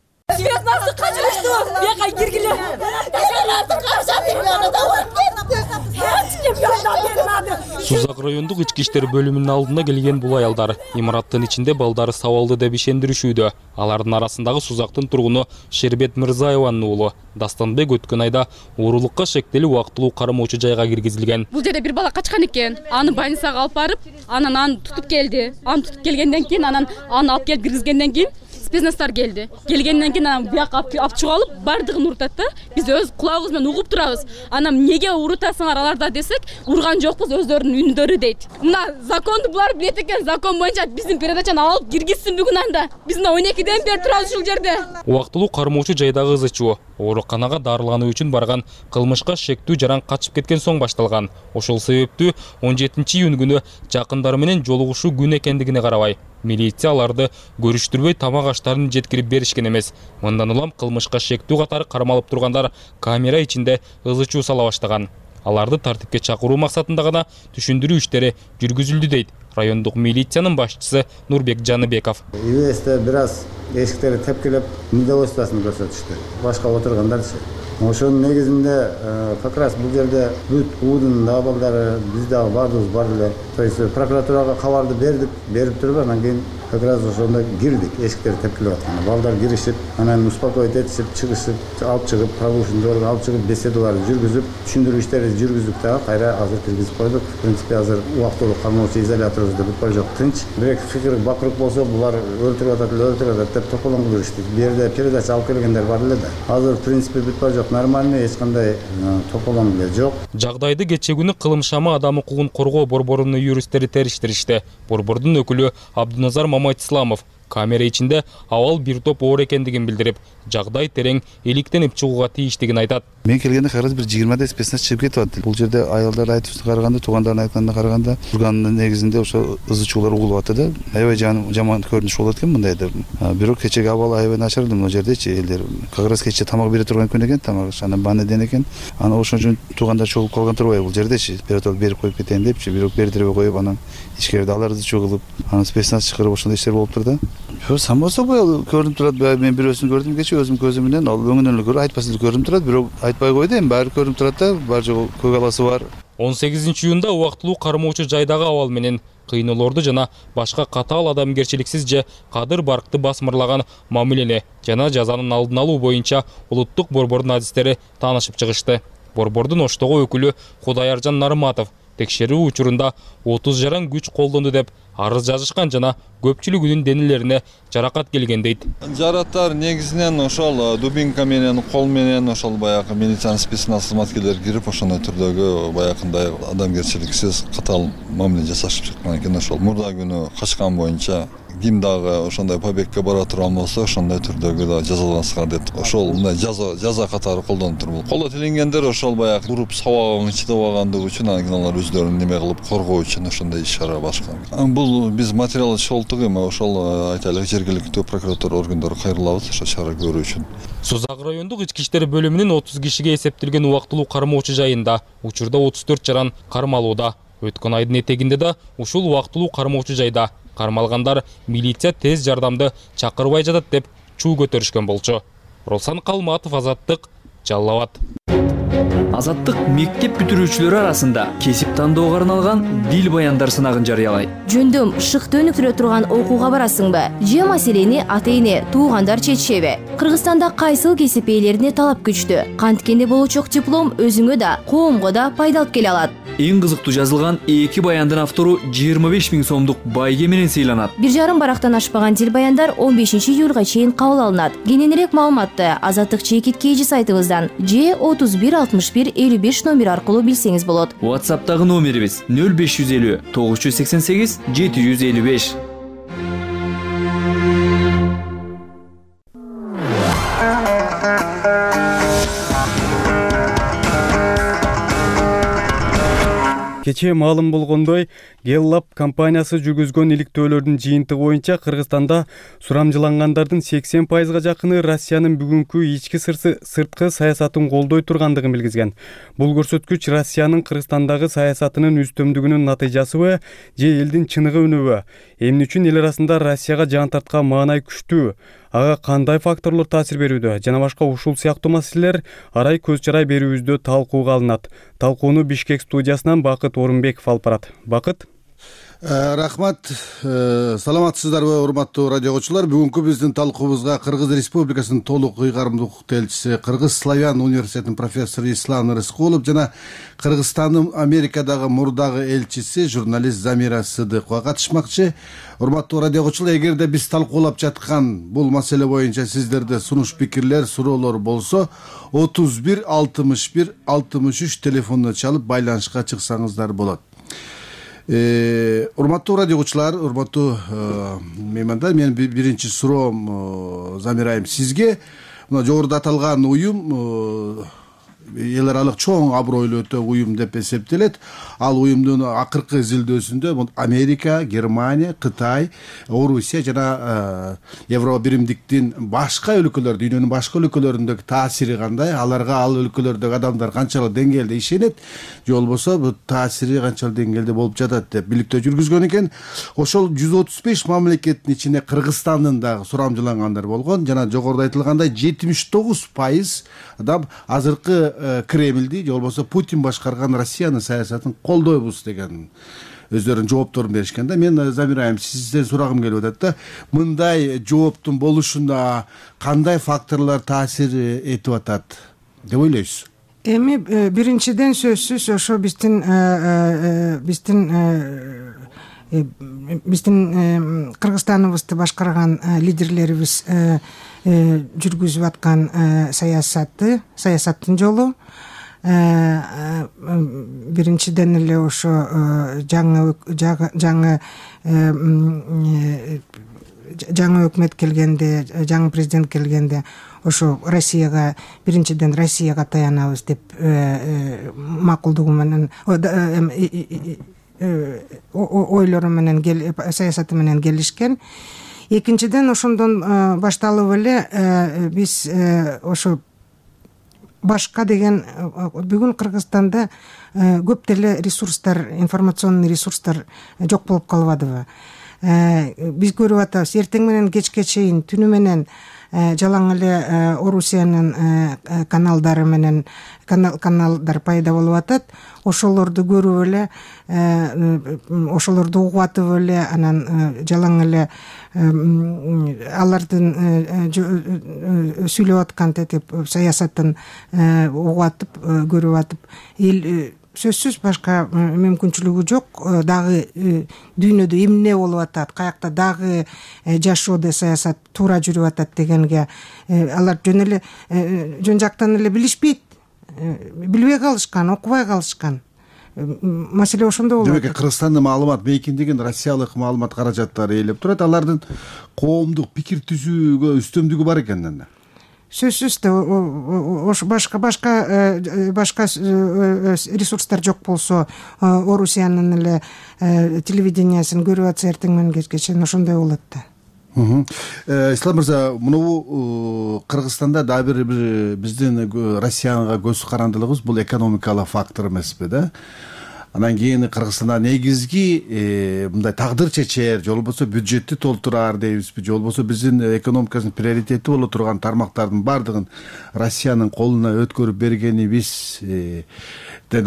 Сузак райондук ички иштер бөлүмүнүн алдына келген бул аялдар имараттын ичинде балдары сабалды деп ишендиришүүдө. Алардын арасындагы Сузактын тургуну Шербет Мырзаеванын уулу Дастанбек өткөн айда уурулукка шектелип убактылуу кармоочу жайга киргизилген. Бул жерде бир бала качкан экен. Аны больницага алып барып, анан аны тутуп келди. Аны тутуп келгенден кийин аны алып келип киргизгенден кийин спецназдар келди. Келгенден кийин анан бияка алып чыгып алып, бардыгын урутат да. Биз өз кулагыбыз менен угуп турабыз. Анан эмнеге урутасыңар аларда десек, урган жокпуз, өздөрүнүн үндөрү дейт. Мына законду булар билет экен, закон боюнча биздин передачаны алып киргизсин бүгүн анда. Биз 12ден бери турабыз ушул жерде. Убактылуу кармоочу жайдагы ызычуу ооруканага дарылануу үчүн барган кылмышка шектүү жаран качып кеткен соң башталган. Ошол себептүү 17-июнь күнү жакындары менен жолугушуу күн экендигине карабай милиция аларды көрүштүрбөй тамак аштарын жеткирип беришкен эмес. Мындан улам кылмышка шектүү катары кармалып тургандар камера ичинде ызычуу сала баштаган. Аларды тартипке чакыруу максатында гана түшүндүрүү иштери жүргүзүлдү дейт райондук милициянын башчысы Нурбек Жаныбеков. ИВСте бир аз эшиктерди тепкилеп, недовольствосын көрсөтүштү. Башка отургандарчы. Ошонун негизинде как раз бул жерде бүт уудун абалдары биз дагы бардыгыбыз бар эле. То есть прокуратурага кабарды берип туруп анан кийин как раз ошондо кирдик, эшиктерди тепкилеп атканда. Балдар киришип, анан успокоить этишип, чыгышып, алып чыгып, прогулканы алып чыгып, беседаларды жүргүзүп, түшүндүрүү иштерин жүргүздүк дагы, кайра азыр киргизип койдук. В принципе, азыр убактылуу кармоочу изоляторубузда бүт бара жок, тынч. Бирок фикир бакырып болсо, булар өлтүрүп атат деп токолоң кылышты. Бу жерде передача алып келгендер бар эле да. Азыр в принципе бүт бара жок, нормальный, эч кандай токолоң эле жок. Жагдайды кече күнү кылымшама адам укугун коргоо борборунун юристтери териштиришти. Борбордун өкүлү Абдуназар Мамайтисламов камера ичинде абал бир топ оор экендигин билдирип, жагдай терең иликтенип чыгууга тийиштигин айтат. Мен келгенде карыз бир 20 спецназ чыгып кетип атты. Бул жерде аялдар айтышына караганда, туугандардын айтканына караганда, турганын негизинде ошо ызычуулар угулуп атты да. Аябай жаман көрүнүш болот экен мындай деп. Бирок кечеги абал аябай начар эле могу жердечи элдер. Как раз кече тамак бере турган күн экен, тамак анан банеден экен. Аны ошон үчүн туугандар чогулуп калган турбайбы бул жердечи. Берип коюп кетейин депчи, бирок бердирбей коюп анан ичкерде алар ызычуу кылып, анан спецназ чакырып ошондой иштер болуптур да. само собой көрүнүп турат. Мен бирөөсүн көрдүм кечээ өзүм көзүм менен, ал өңүнөн эле айтпастан көрүнүп турат, бирок айтпай койду, эми баары көрүнүп турат да, бар жогу көк аласы бар. 18-июнда убактылуу кармоочу жайдагы абал менен кыйноолорду жана башка катаал адамгерчиликсиз же кадыр баркты басмырлаган мамилени жана жазанын алдын алуу боюнча улуттук борбордун адистери таанышып чыгышты. Борбордун Оштогу өкүлү Кудайаржан Нарматов текшерүү учурунда 30 жаран күч колдонду деп арыз жазышкан жана көпчүлүгүнүн денелерине жаракат келген дейт. Жараттар негизинен ошол дубинка менен, кол менен ошол баягы милициянын спецназ кызматкерлери кирип ошондой түрдөгү баягындай адамгерчиликсиз катаал мамиле жасашып чыккан экен. Ошол мурда күнү качкан боюнча ким дагы ошондой побегке бара турган болсо, ошондой түрдөгү да жазаланса деп ошол мындай жаза катары колдонуп турбул. Колдо тилингендер ошол баягы уруп сабагын чыдап алгандыгы үчүн алар өздөрүн неме кылып коргоо үчүн ошондой иш-чара башкан. Бул биз материал чогулттук, эми ошол айтайлык жергиликтүү прокуратура органдары кайрылабыз ошол чара көрүү үчүн. Созак райондук ички иштер бөлүмүнүн 30 кишиге эсептелген убактылуу кармоочу жайында учурда 34 жаран кармалууда. Өткөн айдын этегинде да ушул убактылуу кармоочу жайда кармалгандар милиция тез жардамды чакырбай жатат деп чуу көтөрүшкөн болчу. Росан Калматов, Азаттык, Жалал Абад. Азаттык мектеп бүтүрүүчүлөрү арасында кесип тандоого арналган дил баяндар сынагын жарыялайт. Жөндөм шыкты өнүктүрө турган окууга барасыңбы? Же маселени ата-эне, туугандар чечишеби? Кыргызстанда кайсыл кесип ээлерине талап күчтүү? Канткенде болучок диплом өзүңө да, коомго да пайда алып келе алат. Эң кызыктуу жазылган 2 баяндын автору 25 000 сомдук байге менен сыйланат. 1,5 барактан ашпаган дил баяндар 15 июлга чейин кабыл алынат. Кененирээк маалыматты Азаттык чекит KG сайтыбыздан же 31 61 55 номер аркылуу билсеңиз болот. WhatsApp'тагы номерибиз 0550 988 755. Кечээ маалым болгондой, Геллап компаниясы жүргүзгөн иликтөөлөрдүн жыйынтыгы боюнча Кыргызстанда сурамжылангандардын 80%га жакыны Россиянын бүгүнкү ички сырткы саясатын колдой тургандыгын билгизген. Бул көрсөткүч Россиянын Кыргызстандагы саясатынын үстөмдүгүнүн натыйжасыбы же элдин чыныгы үнүбү? Эмне үчүн эл арасында Россияга жан тарткан маанай күчтүү? Ага кандай факторлор таасир берүүдө? Жана башка ушул сыяктуу маселелер арай көз чарай берүүбүздө талкууга алынат. Талкууну Бишкек студиясынан Бакыт Орунбеков алып барат. Бакыт. Рахмат. Саламатсыздарбы, урматтуу радио окуучулар? Бүгүнкү биздин талкуубузга Кыргыз Республикасынын толук ыйгарымдуулук элчиси, Кыргыз Славян университетинин профессору Ислам Рыскулов жана Кыргызстандын Америкадагы мурдагы элчиси, журналист Замира Сыдыкова катышмакчы. Урматтуу радио окуучулар, эгерде биз талкуулап жаткан бул маселе боюнча сиздерде сунуш пикирлер, суроолор болсо 31 61 63 телефонуна чалып байланышка чыксаңыздар болот. Урматтуу радио окуучулар, урматтуу меймандар, менин биринчи суроом Замира айым сизге. Мына жогоруда аталган уюм эл аралык чоң абройлуу өтө уюм деп эсептелет. Ал уюмдун акыркы изилдөөсүндө Америка, Германия, Кытай, Орусия жана Евро биримдиктин башка өлкөлөр, дүйнөнүн башка өлкөлөрүндөгү таасири кандай, аларга ал өлкөлөрдөгү адамдар канчалык деңгээлде ишенет, же болбосо бул таасири канчалык деңгээлде болуп жатат деп биликтөө жүргүзгөн экен. Ошол 135 мамлекеттин ичинде Кыргызстандын дагы сурамжылангандар болгон жана жогоруда айтылгандай 79% адам азыркы Кремльди же болбосо Путин башкарган Россиянын саясатын колдойбуз деген өздөрүнүн жоопторун беришкен да. Мен Замира айым сизден сурагым келип атат да. Мындай жооптун болушуна кандай факторлор таасир этип атат деп ойлойсуз? Эми биринчиден сөзсүз ошо биздин Кыргызстаныбызды башкарган лидерлерибиз жүргүзүп аткан саясаттын жолу. Биринчиден эле ошо жаңы өкмөт келгенде, жаңы президент келгенде ошо Россияга, биринчиден Россияга таянабыз деп макулдугу менен ойлору менен саясаты менен келишкен. Экинчиден ошондон башталып эле биз ошо башка деген бүгүн Кыргызстанда көп деле ресурстар, информационный ресурстар жок болуп калбадыбы? биз көрүп атабыз эртең менен кечке чейин түнү менен жалаң эле Орусиянын каналдары менен каналдар пайда болуп атат. Ошолорду көрүп эле, ошолорду угуп атып эле, анан жалаң эле алардын сүйлөп аткан саясатын угуп атып, көрүп атып, эл сөзсүз башка мүмкүнчүлүгү жок. Дагы дүйнөдө эмне болуп атат, каякта дагы жашоодо саясат туура жүрүп атат дегенге алар жөн жактан эле билишпейт, билбей калышкан, окубай калышкан. Маселе ошондо болуп атат. Демек Кыргызстандын маалымат мейкиндигин россиялык маалымат каражаттары ээлеп турат. Алардын коомдук пикир түзүүгө үстөмдүгү бар экен да. Сөзсүз башка ресурстар жок болсо, Орусиянын эле телевидениясын көрүп атса эртең менен кечке чейин ошондой болот да. Ислам мырза, мынабу Кыргызстанда дагы бир биздин Россияга көз карандылыгыбыз бул экономикалык фактор эмеспи да? Анан кийин Кыргызстанда негизги мындай тагдыр чечер, же болбосо бюджетти толтурар дейбизби, же болбосо биздин экономикасынын приоритети боло турган тармактардын баардыгын Россиянын колуна өткөрүп бергенибизден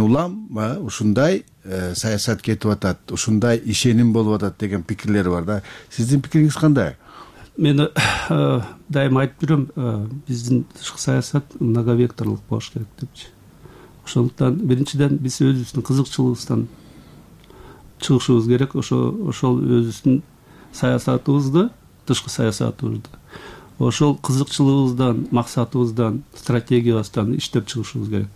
улам ушундай саясат кетип атат, ушундай ишеним болуп атат деген пикирлер бар да. Сиздин пикириңиз кандай? Мен дайыма айтып жүрөм, биздин тышкы саясат многовекторлук болуш керек депчи. Ошондуктан биринчиден биз өзүбүздүн кызыкчылыгыбыздан чыгышыбыз керек. Ошол өзүбүздүн саясатыбызды, тышкы саясатыбызды, ошол кызыкчылыгыбыздан, максатыбыздан, стратегиябыздан иштеп чыгышыбыз керек.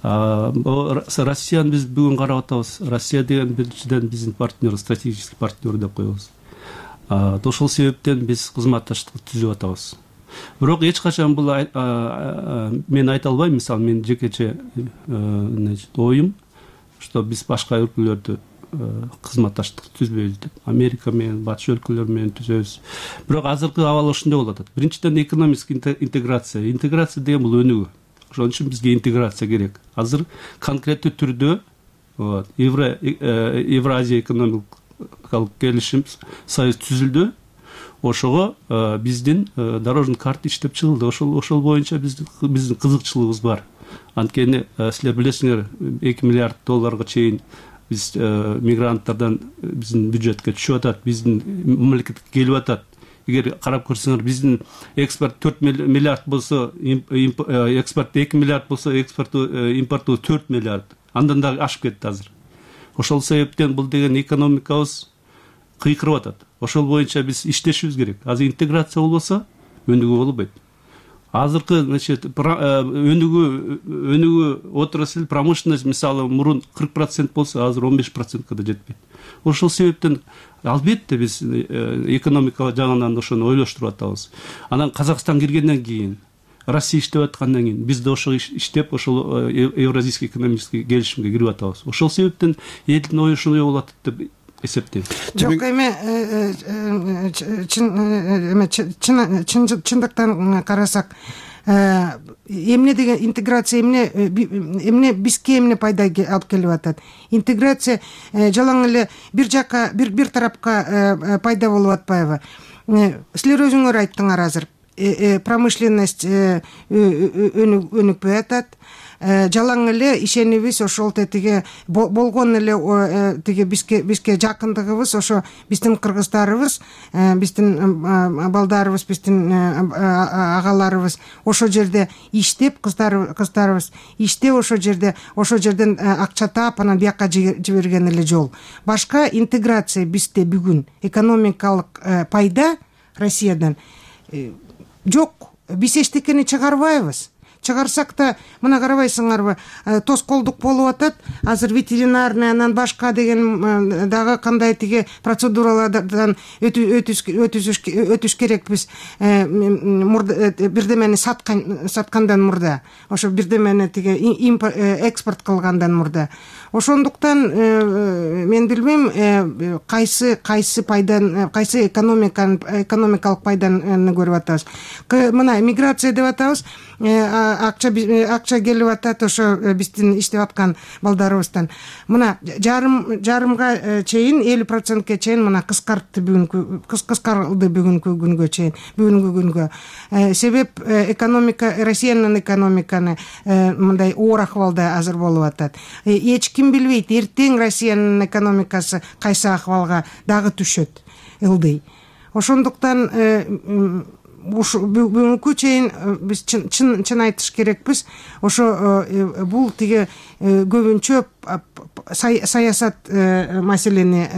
Россияны биз бүгүн карап атабыз. Россия деген биринчиден биздин партнер, стратегический партнер деп коебуз. Ошол себептен биз кызматташтык түзүп атабыз. Бирок эч качан бул мен айта албайм. Мисалы, мен жекече оюм, что биз башка өлкөлөрдү кызматташтык түзбөйбүз деп. Америка менен, батыш өлкөлөр менен түзөбүз. Бирок азыркы абал ошондой болуп атат. Биринчиден экономический интеграция. Интеграция деген бул өнүгүү. Ошон үчүн бизге интеграция керек. Азыр конкреттүү түрдө Евразия экономикалык келишим союз түзүлдү. Ошого биздин дорожный карта иштеп чыгылды. Ошол боюнча биздин кызыкчылыгыбыз бар. Анткени силер билесиңер, 2 миллиард долларга чейин биз мигранттардан биздин бюджетке түшүп атат, биздин мамлекетке келип атат. Эгер карап көрсөңөр, биздин экспорт 4 миллиард болсо, экспорт 2 миллиард болсо, импорту 4 миллиард. Андан да ашып кетти азыр. Ошол себептен бул деген экономикабыз кыйкырып атат. Ошол боюнча биз иштешибиз керек. Азыр интеграция болбосо өнүгүү болбойт. Азыркы, өнүгүү отрасль, промышленность, мисалы, мурун 40% болсо, азыр 15%ка да жетпейт. Ошол себептен албетте биз экономика жагынан ошону ойлоштуруп атабыз. Анан Казакстан киргенден кийин, Россия иштеп аткандан кийин биз да ошо иштеп, ошол Евразийский экономический келишимге кирип атабыз. Ошол себептен элдин ою ушундай болуп атат деп эсептейм. Жок, чындыктан карасак, эмне деген интеграция, эмне бизге эмне пайда алып келип атат? Интеграция жалаң эле бир жакка, бир тарапка пайда болуп атпайбы? Силер өзүңөр айттыңар азыр, промышленность өнүкпөй атат. Жалаң эле ишенибиз ошол тетиге болгон эле тиги бизге жакындыгыбыз, ошо биздин кыргыздарыбыз, биздин балдарыбыз, биздин агаларыбыз ошо жерде иштеп, кыздарыбыз иштеп ошо жерден акча таап, анан бияка жиберген эле жол. Башка интеграция бизде бүгүн экономикалык пайда Россиядан жок. Биз эчтекени чыгарбайбыз. Чыгарсак да, мына карабайсыңарбы, тоскоолдук болуп атат. Азыр ветеринарный, анан башка деген дагы кандай тиги процедуралардан өтүш керекпиз. Бирдемени саткандан мурда, ошо бирдемени тиги экспорт кылгандан мурда. Ошондуктан мен билбейм, кайсы пайдан, кайсы экономикалык пайданы көрүп атабыз. Мына миграция деп атабыз. акча келип атат ошо биздин иштеп аткан балдарыбыздан. Мына жарымга чейин 50%ке чейин мына кыскарылды бүгүнкү күнгө. Себеп экономика, Россиянын экономиканы мындай оор акыбалда азыр болуп атат. Эч ким билбейт, эртең Россиянын экономикасы кайсы акыбалга дагы түшөт, ылдый. Ошондуктан бүгүнкү чейин биз чын айтыш керекпиз. Ошо бул тиги көбүнчө саясат маселени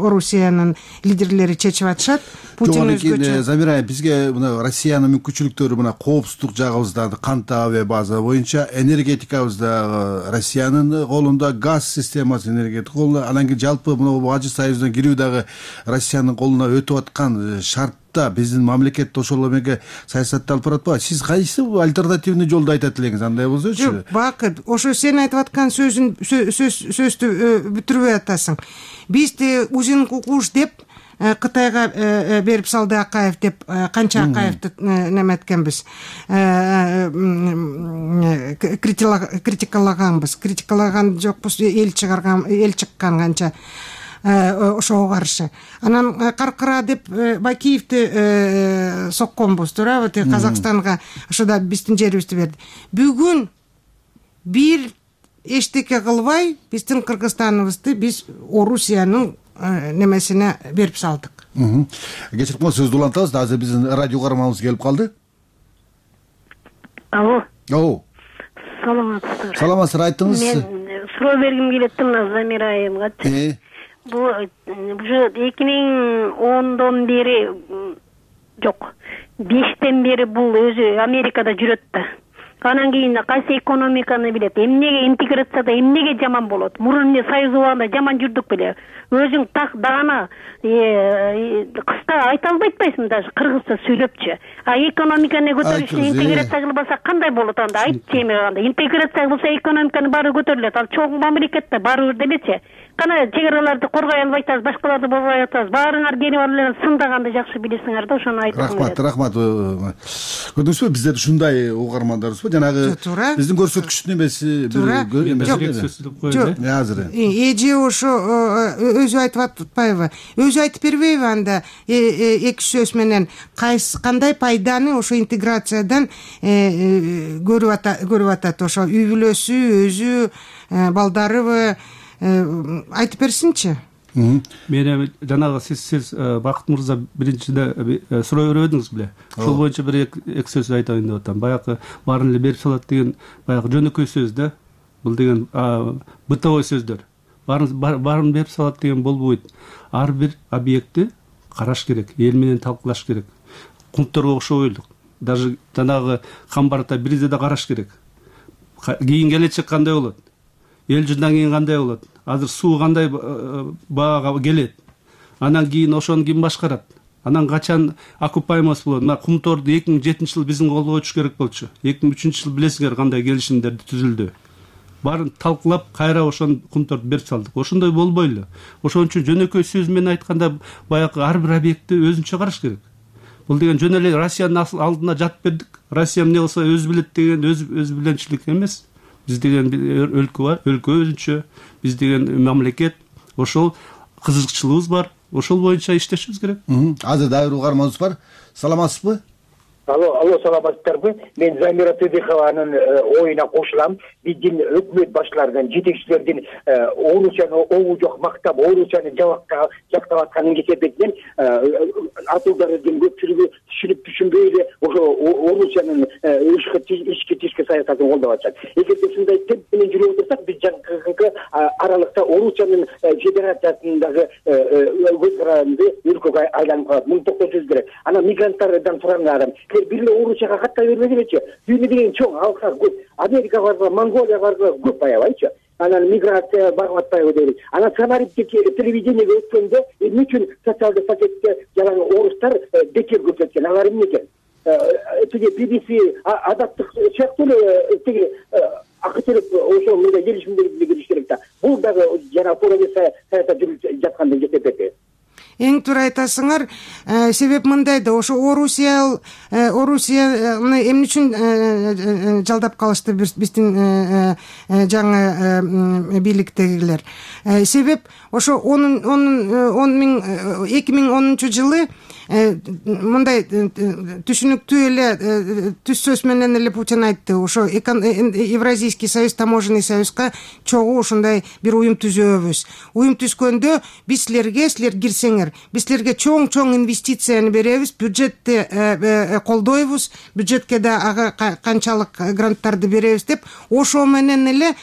Орусиянын лидерлери чечип атышат. Путин өзгөчө. Замира, бизге мына Россиянын мүмкүнчүлүктөрү мына коопсуздук жагыбызда кантип авиа база боюнча, энергетикабызда Россиянын колунда, газ системасы энергетика колунда, анан кийин жалпы мына Бажы союзуна кирүү дагы Россиянын колуна өтүп аткан шартта биздин мамлекет ошол эмеге саясатты алып баратпайбы? Сиз кайсы альтернативный жолду айтат элеңиз? Андай болсочу. Жок, бакыт, ошо сен айтып аткан сөздү бүтүрбөй атасың. Бизди узин кукуш деп Кытайга берип салды Акаев деп канча Акаевди неметкенбиз, критикалаган жокпуз, эл чыккан канча ошого каршы. Анан каркыра деп Бакиевди сокконбуз, туурабы? Казакстанга ошода биздин жерибизди берди. Бүгүн бир эчтеке кылбай биздин Кыргызстаныбызды биз Орусиянын немесине берип салдык. Кечирип коюңуз, сөздү улантабыз. Азыр биздин радио каарманыбыз келип калды. Алло. Саламатсыздар. Саламатсыздар, айттыңыз. Мен суроо бергим келет мына Замира айымгачы. Бул уже 2010дон бери жок, 5тен бери бул өзү Америкада жүрөт да. Анан кийин кайсы экономиканы билет, эмнеге интеграцияда эмнеге жаман болот? Мурун эмне союз убагында жаман жүрдүк беле. Өзүң так дагана кыста айта албайсың даже кыргызча сүйлөпчү. Экономиканы көтөрүшү интеграция кылбаса кандай болот анда? Айтчы эми анда. Интеграция кылса экономиканы баары көтөрүлөт. Ал чоң мамлекетте баары бир делечи. Кана чек араларды коргой албай атабыз, башкаларды болбой атабыз. Баарыңар келип алып сындаганды жакшы билесиңер да, ошону айтам. Рахмат. Көрдүңүзбү, bizde ушундай угармандарыбыз бар. Жанагы биздин көрсөткүчтүн эмеси азыр. Эже ошо өзү айтып атпайбы? Өзү айтып бербейби анда эки сөз менен кандай пайданы ошо интеграциядан көрүп атат? Ошо үй бүлөсү, өзү, балдарыбы айтып берсинчи. Мен жанагы сиз Бакыт мырза биринчиде суроо бербедиңиз беле? Ошол боюнча бир эки сөз айтайын деп атам. Баягы баарын эле берип салат деген баягы жөнөкөй сөз да. Бул деген бытовой сөздөр. Баарын берип салат деген болбойт. Ар бир объектти караш керек, эл менен талкуулаш керек. Кумторго окшой элдик. Даже жанагы Камбарда биризде да караш керек. Кийин келечек кандай болот? Эл жылдан кийин кандай болот? Азыр суу кандай баага келет? Анан кийин ошону ким башкарат? Анан качан окупаемость болот? Мына Кумторду 2007-жылы биздин колго өтүш керек болчу. 2003-жылы билесиңер кандай келишимдер түзүлдү. Баарын талкуулап кайра ошону Кумторду берип салдык. Ошондой болбой эле. Ошон үчүн жөнөкөй сөз менен айтканда баягы ар бир объектти өзүнчө караш керек. Бул деген жөн эле Россиянын алдына жатып бердик. Россия эмне болсо өзү билет деген өз биленчилик эмес. Биз деген өлкө бар, өлкө өзүнчө, биз деген мамлекет, ошол кызыкчылыгыбыз бар, ошол боюнча иштешибиз керек. Азыр дагы бир угарманыбыз бар. Саламатсызбы? Алло, саламатсыздарбы? Мен Замира Тыдыхованын оюна кошулам. Биздин өкмөт башчыларынан, жетекчилердин Орусияны обу жок мактап, Орусияны жактап атканын кесепетинен атуулдардын көпчүлүгү түшүнбөй эле ошо Орусиянын ички тишки саясатын колдоп атышат. Эгерде ушундай темп менен жүрүп отурсак, биз жакынкы аралыкта Орусиянын федерациясындагы көз каранды өлкөгө айланып калат. Муну токтотушубуз керек. Анан мигранттардан сурандарым, бир эле Орусияга каттай бербегилечи. Дүйнө деген чоң, алка көп. Америка барга, Монголия барга көп аябайчы. Анан миграция барып атпайбы дейбиз. Анан самарипти телевидениеге өткөндө эмне үчүн социалдык пакетте жанагы орустар бекер көрсөткөн? Алар эмне экен? Тиги BBC адаттык сыяктуу эле тиги акы төлөп ошо мындай келишимдерге кириш керек да. Бул дагы жана саясат жүрүп жаткандай жетет. эң туура айтасыңар. Себеп мындай да, ошо Орусияны эмне үчүн жалдап калышты биздин жаңы бийликтегилер. Себеп ошо 2010 жылы мындай түшүнүктүү эле түз сөз менен эле Путин айтты. Ошо Евразийский союз, таможенный союзга чогуу ушундай бир уюм түзөбүз. Уюм түзгөндө биз силер кирсеңер, биз силерге чоң инвестицияны беребиз, бюджетти колдойбуз, бюджетке да ага канчалык гранттарды беребиз деп, ошо менен эле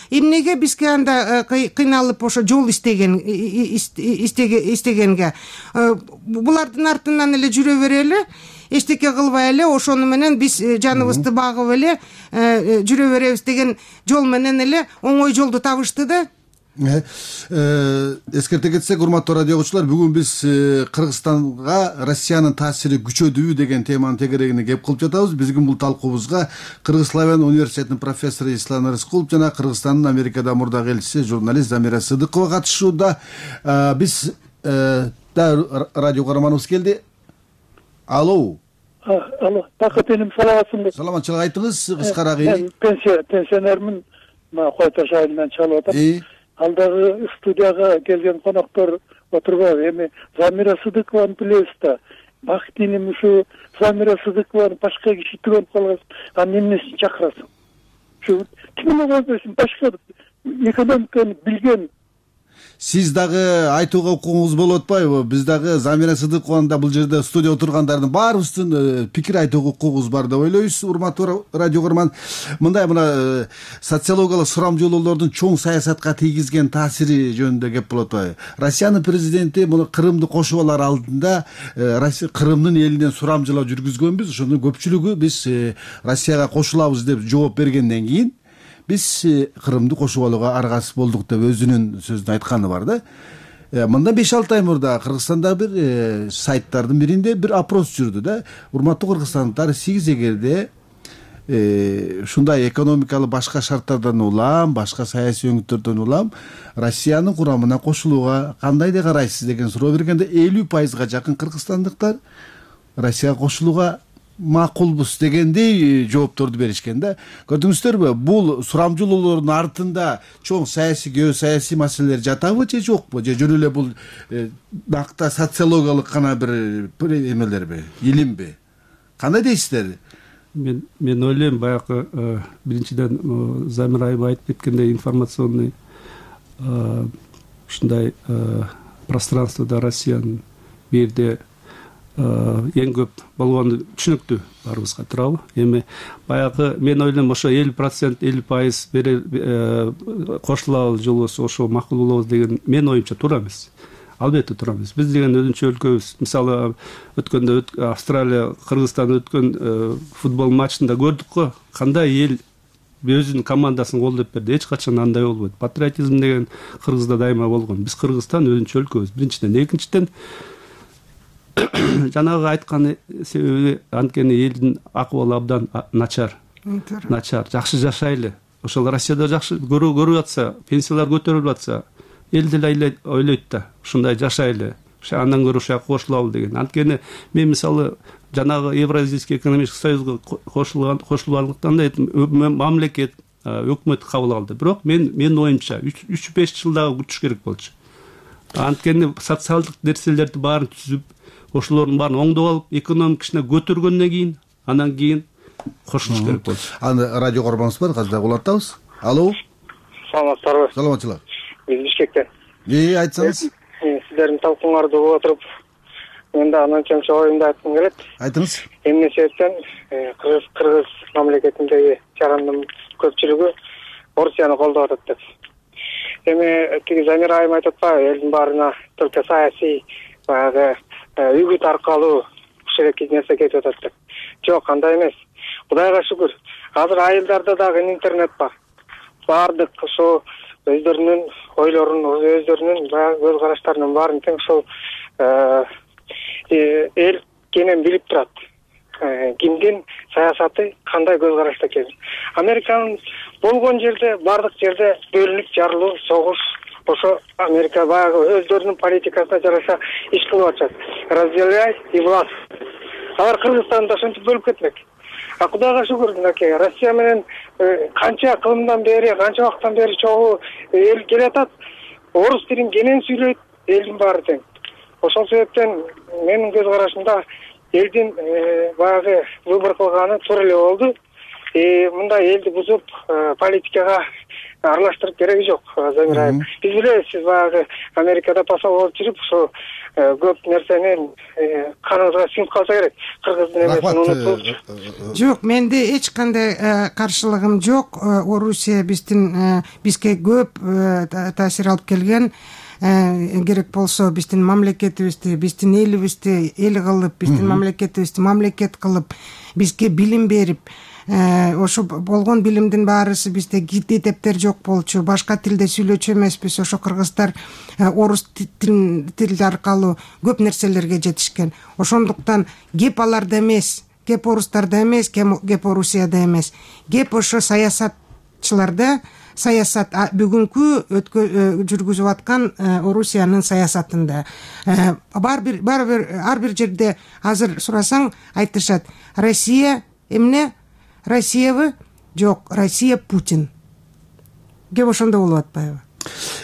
эмнеге бизге анда кыйналып ошо жол истегенге. Булардын артынан эле жүрө берели, эчтеке кылбай эле, ошону менен биз жаныбызды багып эле жүрө беребиз деген жол менен эле оңой жолду табышты да. Эскерте кетсек, урматтуу радио угуучулар, бүгүн биз Кыргызстанга Россиянын таасири күчөдүбү деген теманын тегерегине кеп кылып жатабыз. Биздин бул талкуубузга Кыргыз-Славян университетинин профессору Ислам Рыскулов жана Кыргызстандын Америкада мурдагы элчиси журналист Замира Сыдыкова катышууда. Биз радио каарманыбыз келди. Алло, Бакыт эним, саламатсыңбы? Саламатчылык, айтыңыз кыскараак. Мен пенсионермин, Кой Таш айылынан чалып атам. Алдагы студияга келген коноктор отурбайбы. Эми Замира Сыдыкованы билебиз да. Бакыт эним ушу Замира Сыдыкованы башка киши түгөнүп калган. Анын эмнесин чакырасың? Ушу кимге койбойсуң, башка экономиканы билген. Сиз дагы айтууга укугуңуз болуп атпайбы? Биз дагы Замира Сыдыкованы бул жерде студия отургандардын баарыбыздын пикир айтууга укугубуз бар деп ойлойбуз. Урматтуу радио көрман, мындай социологиялык сурамжылоолордун чоң саясатка тийгизген таасири жөнүндө кеп болуп атпайбы? Россиянын президенти муну Крымды кошуп алар алдында Крымдын элинен сурамжылоо жүргүзгөнбүз. Ошонун көпчүлүгү биз Россияга кошулабыз деп жооп бергенден кийин биз Крымды кошуп алууга аргасыз болдук деп өзүнүн сөзүндө айтканы бар да. Мындан 5-6 ай мурда Кыргызстанда бир сайттардын биринде бир опрос жүрдү да. Урматтуу кыргызстандыктар, сиз эгерде ушундай экономикалык башка шарттардан улам, башка саясий өңүттөрдөн улам Россиянын курамына кошулууга кандай деп карайсыз деген суроо бергенде 50%га жакын кыргызстандыктар Россияга кошулууга макулбуз дегендей жоопторду беришкен да. Көрдүңүздөрбү, бул сурамжылоолордун артында чоң саясий, геосаясий маселелер жатабы же жокпу? Же жөн эле бул накта социологиялык гана бир эмелерби, илимби? Кандай дейсиздер? Мен ойлойм, баягы биринчиден Замир айым айтып кеткендей, информационный ушундай пространствода Россиянын бул жерде эң көп болгону түшүнүктүү, баарыбызга туурабы? Эми баягы мен ойлойм, ошо 50%, 50% кошулабыз жолубуз, ошо макул болобуз деген мен оюмча туура эмес. Албетте туура эмес. Биз деген өзүнчө өлкөбүз. Мисалы өткөндө Австралия, Кыргызстан өткөн футбол матчында көрдүк го, кандай эл өзүнүн командасын колдоп берди. Эч качан андай болбойт. Патриотизм деген Кыргызда дайыма болгон. Биз Кыргызстан өзүнчө өлкөбүз. Биринчиден, экинчиден жанагы айткан себеби анткени элдин акыбалы абдан начар, жакшы жашайлы. Ошол Россияда жакшы көрүп атса, пенсиялар көтөрүлүп атса, эл деле ойлойт да, ушундай жашайлы, андан көрө ушуга кошулалы деген. Анткени мен мисалы жанагы Евразийский экономический союзга кошулгандыктан да мамлекет, өкмөт кабыл алды. Бирок мен оюмча 3-5 жылдагы күтүш керек болчу. Анткени социалдык нерселерди баарын түзүп, ошолордун баарын оңдоп алып, экономика ишине көтөргөндөн кийин, андан кийин кошулуш керек болчу. Аны радио көрмөңүз бар, азыр улантабыз. Алло. Саламатсыздарбы? Саламатчылык. Биз Бишкектен. Айтсаңыз. Сиздердин талкууңарды угуп отуруп, мен да анча оюмду айткым келет. Айтыңыз. Эмне себептен Кыргыз мамлекетиндеги жарандын көпчүлүгү Орусияны колдоп атат деп. Эми тиги Замир айым айтып атпайбы, элдин баарына только саясий баягы үгүт аркылуу ушул эки нерсе кетип атат деп. Жок, андай эмес. Кудайга шүгүр. Азыр айылдарда дагы интернет бар. Баардык ошо өздөрүнүн ойлорун, өздөрүнүн баягы көз караштарынын баарын тең ошол эл кенен билип турат. Кимдин саясаты кандай көз карашта экенин. Американын болгон жерде, баардык жерде бөлүнүп жарылуу, согуш ошо Америка баягы өздөрүнүн политикасына жараша иш кылып атышат. Разделяй и власть. Алар Кыргызстанды ошентип бөлүп кетмек. А Кудайга шүгүр, мынакей Россия менен канча кылымдан бери, канча убакыттан бери чогуу эл келатат. Орус тилин кенен сүйлөйт, элдин баары тең. Ошол себептен менин көз карашымда элдин баягы выбор кылганы туура эле болду. Мындай элди бузуп политикага аралаштырып кереги жок, Замир айым. Биз билебиз, сиз баягы Америкада посол болуп жүрүп, ошо көп нерсени каныбызга сиңип калса керек. Кыргыздын эмесин унутуп. Жок, менде эч кандай каршылыгым жок. Орусия бизге көп таасир алып келген. Керек болсо биздин мамлекетибизди, биздин элибизди эл кылып, биздин мамлекетибизди мамлекет кылып, бизге билим берип, ошо болгон билимдин баарысы бизде китептер жок болчу, башка тилде сүйлөчү эмеспиз. Ошо кыргыздар орус тили аркылуу көп нерселерге жетишкен. Ошондуктан кеп аларда эмес, кеп орустарда эмес, кеп Орусияда эмес. Кеп ошо саясатчыларда, саясат бүгүнкү жүргүзүп аткан Орусиянын саясатында. Ар бир жерде азыр сурасаң айтышат: Россия эмне? Россиябы? Жок, Россия Путин. Кеп ошондо болуп атпайбы?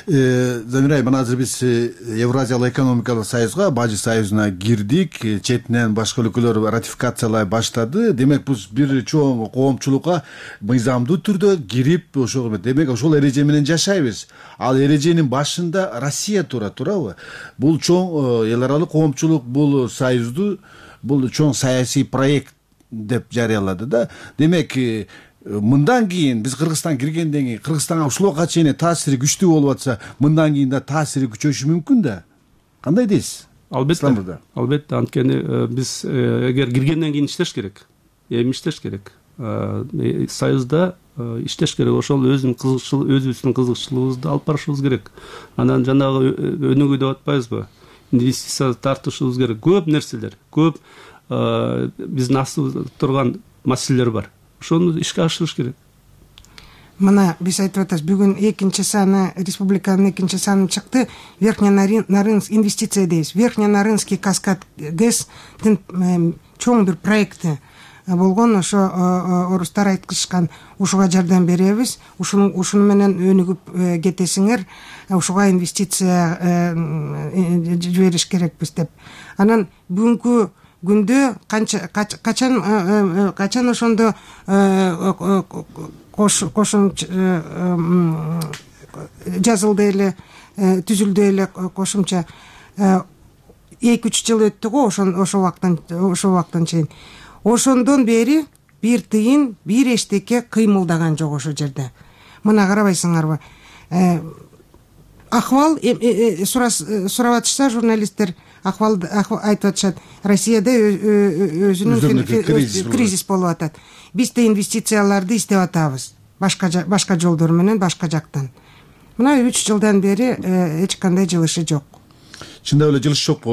Замир айым, мына азыр биз Евразиялык экономикалык союзга, Бажы союзуна кирдик. Четинен башка өлкөлөр ратификациялай баштады. Демек, биз бир чоң коомчулукка мыйзамдуу түрдө кирип, ошого демек ошол эреже менен жашайбыз. Ал эреженин башында Россия турабы? Бул чоң эл аралык коомчулук бул союзду, бул чоң саясий проект деп жарыялады да. Демек, мындан кийин биз Кыргызстан киргенден кийин Кыргызстанга ушулга чейин таасири күчтүү болуп атса, мындан кийин да таасири күчөшү мүмкүн да. Кандай дейсиз? Албетте, анткени биз эгер киргенден кийин иштеш керек. Эми иштеш керек. Союзда иштеш керек. Ошол өзүбүздүн кызыкчылыгыбызды алып барышыбыз керек. Анан жанагы өнүгүү деп атпайбызбы? Инвестиция тартышыбыз керек. Көп нерселер, көп биздин астыбызда турган маселелер бар. Ошону ишке ашырыш керек. Мына биз айтып атабыз, бүгүн экинчи саны, республиканын экинчи саны чыкты. Верхненарынск инвестиция дейбиз. Верхненарынский каскад ГЭСтин чоң бир проекти болгон. Ошо орустар айткышкан, ушуга жардам беребиз, ушуну менен өнүгүп кетесиңер, ушуга инвестиция жибериш керекпиз деп. Анан бүгүнкү күндө качан ошондо кошумча жазылды эле, түзүлдү эле кошумча. 2-3 жыл өттү го ошо убакыттан чейин. Ошондон бери бир тыйын, бир эчтеке кыймылдаган жок ошо жерде. Мына карабайсыңарбы? Акыбал сурап атышса журналисттер, акыбал айтып атышат, Россияда өзүнүн кризис болуп атат. Биз да инвестицияларды издеп атабыз, башка жолдор менен, башка жактан. Мына 3 жылдан бери эч кандай жылышы жок. Чындап эле жылыш жок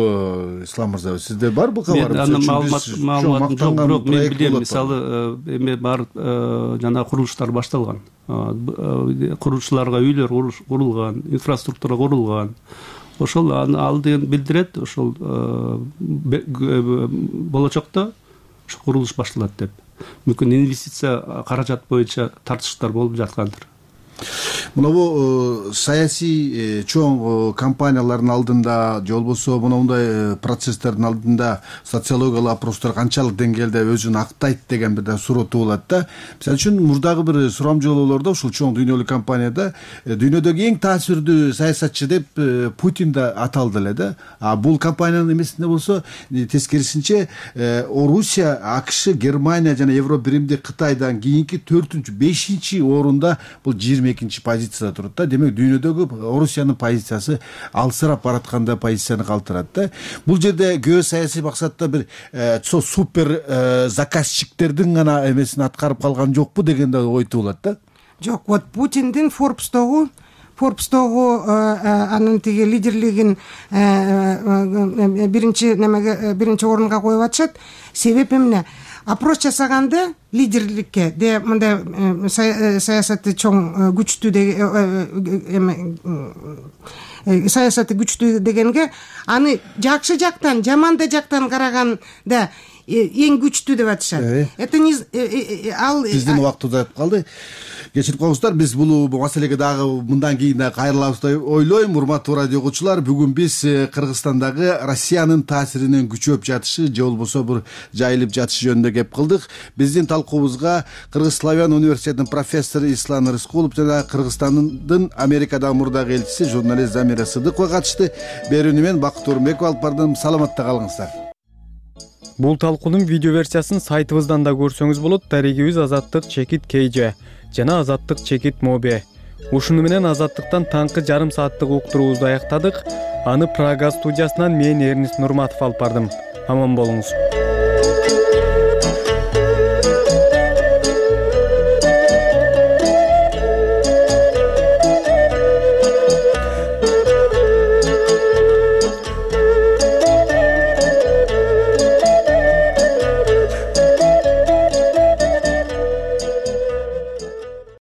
Ислам мырза. Сизде бар бул кабар? Мен маалыматым жок, бирок мен билем, мисалы эме бар, жана курулуштар башталган. Курулуучуларга үйлөр курулган, инфраструктура курулган. Ошол ал деген билдирет, ошол болочокто ошо курулуш башталат деп. Мүмкүн инвестиция каражат боюнча тартыштар болуп жаткандыр. Мына саясий чоң компаниялардын алдында, же болбосо мындай процесстердин алдында социологиялык опростор канчалык деңгээлде өзүн актайт деген бир суроо туулат да. Мисалы үчүн мурдагы бир сурамжылоолордо ушул чоң дүйнөлүк компанияда дүйнөдөгү эң таасирдүү саясатчы деп Путин да аталды эле да. А бул компаниянын эмесинде болсо тескерисинче Орусия, АКШ, Германия жана Евробиримдик Кытайдан кийинки 4-5 орунда бул 22-чи позицияда турат да. Демек дүйнөдөгү Орусиянын позициясы алсырап баратканда позицияны калтырат да. Бул жерде геосаясий максатта бир супер заказчиктердин гана эмесин аткарып калган жокпу деген да ой туулат да. Жок, вот Путиндин Forbes'тогу анын тиги лидерлигин биринчи орунга коюп атышат. Себеп эмне? опрос жасаганда лидерликке мындай саясаты чоң күчтүү саясаты күчтүү дегенге аны жакшы жактан жаманда жактан караганда эң күчтүү деп атышат. Это не ал биздин убакыт узайып калды. Кечирип коюңуздар, биз бул маселеге дагы мындан кийин да кайрылабыз деп ойлойм. Урматтуу радио угуучулар, бүгүн биз Кыргызстандагы Россиянын таасиринин күчөп жатышы же болбосо бир жайылып жатышы жөнүндө кеп кылдык. Биздин талкуубузга Кыргыз Славян университетинин профессору Ислам Рыскулов жана Кыргызстандын Америкадагы мурдагы элчиси журналист Замира Сыдыкова катышты. Берүүнү мен Бакыт Орунбеков алып бардым. Саламатта калыңыздар. Бул талкуунун видео версиясын сайтыбыздан да көрсөңүз болот. Дарегибиз Азаттык_KJ жана Азаттык_Mobe. Ушуну менен Азаттыктан таңкы жарым сааттык уктуруубузду аяктадык. Аны Прага студиясынан мен Эрнист Нурматов алып бардым. Аман болуңуз.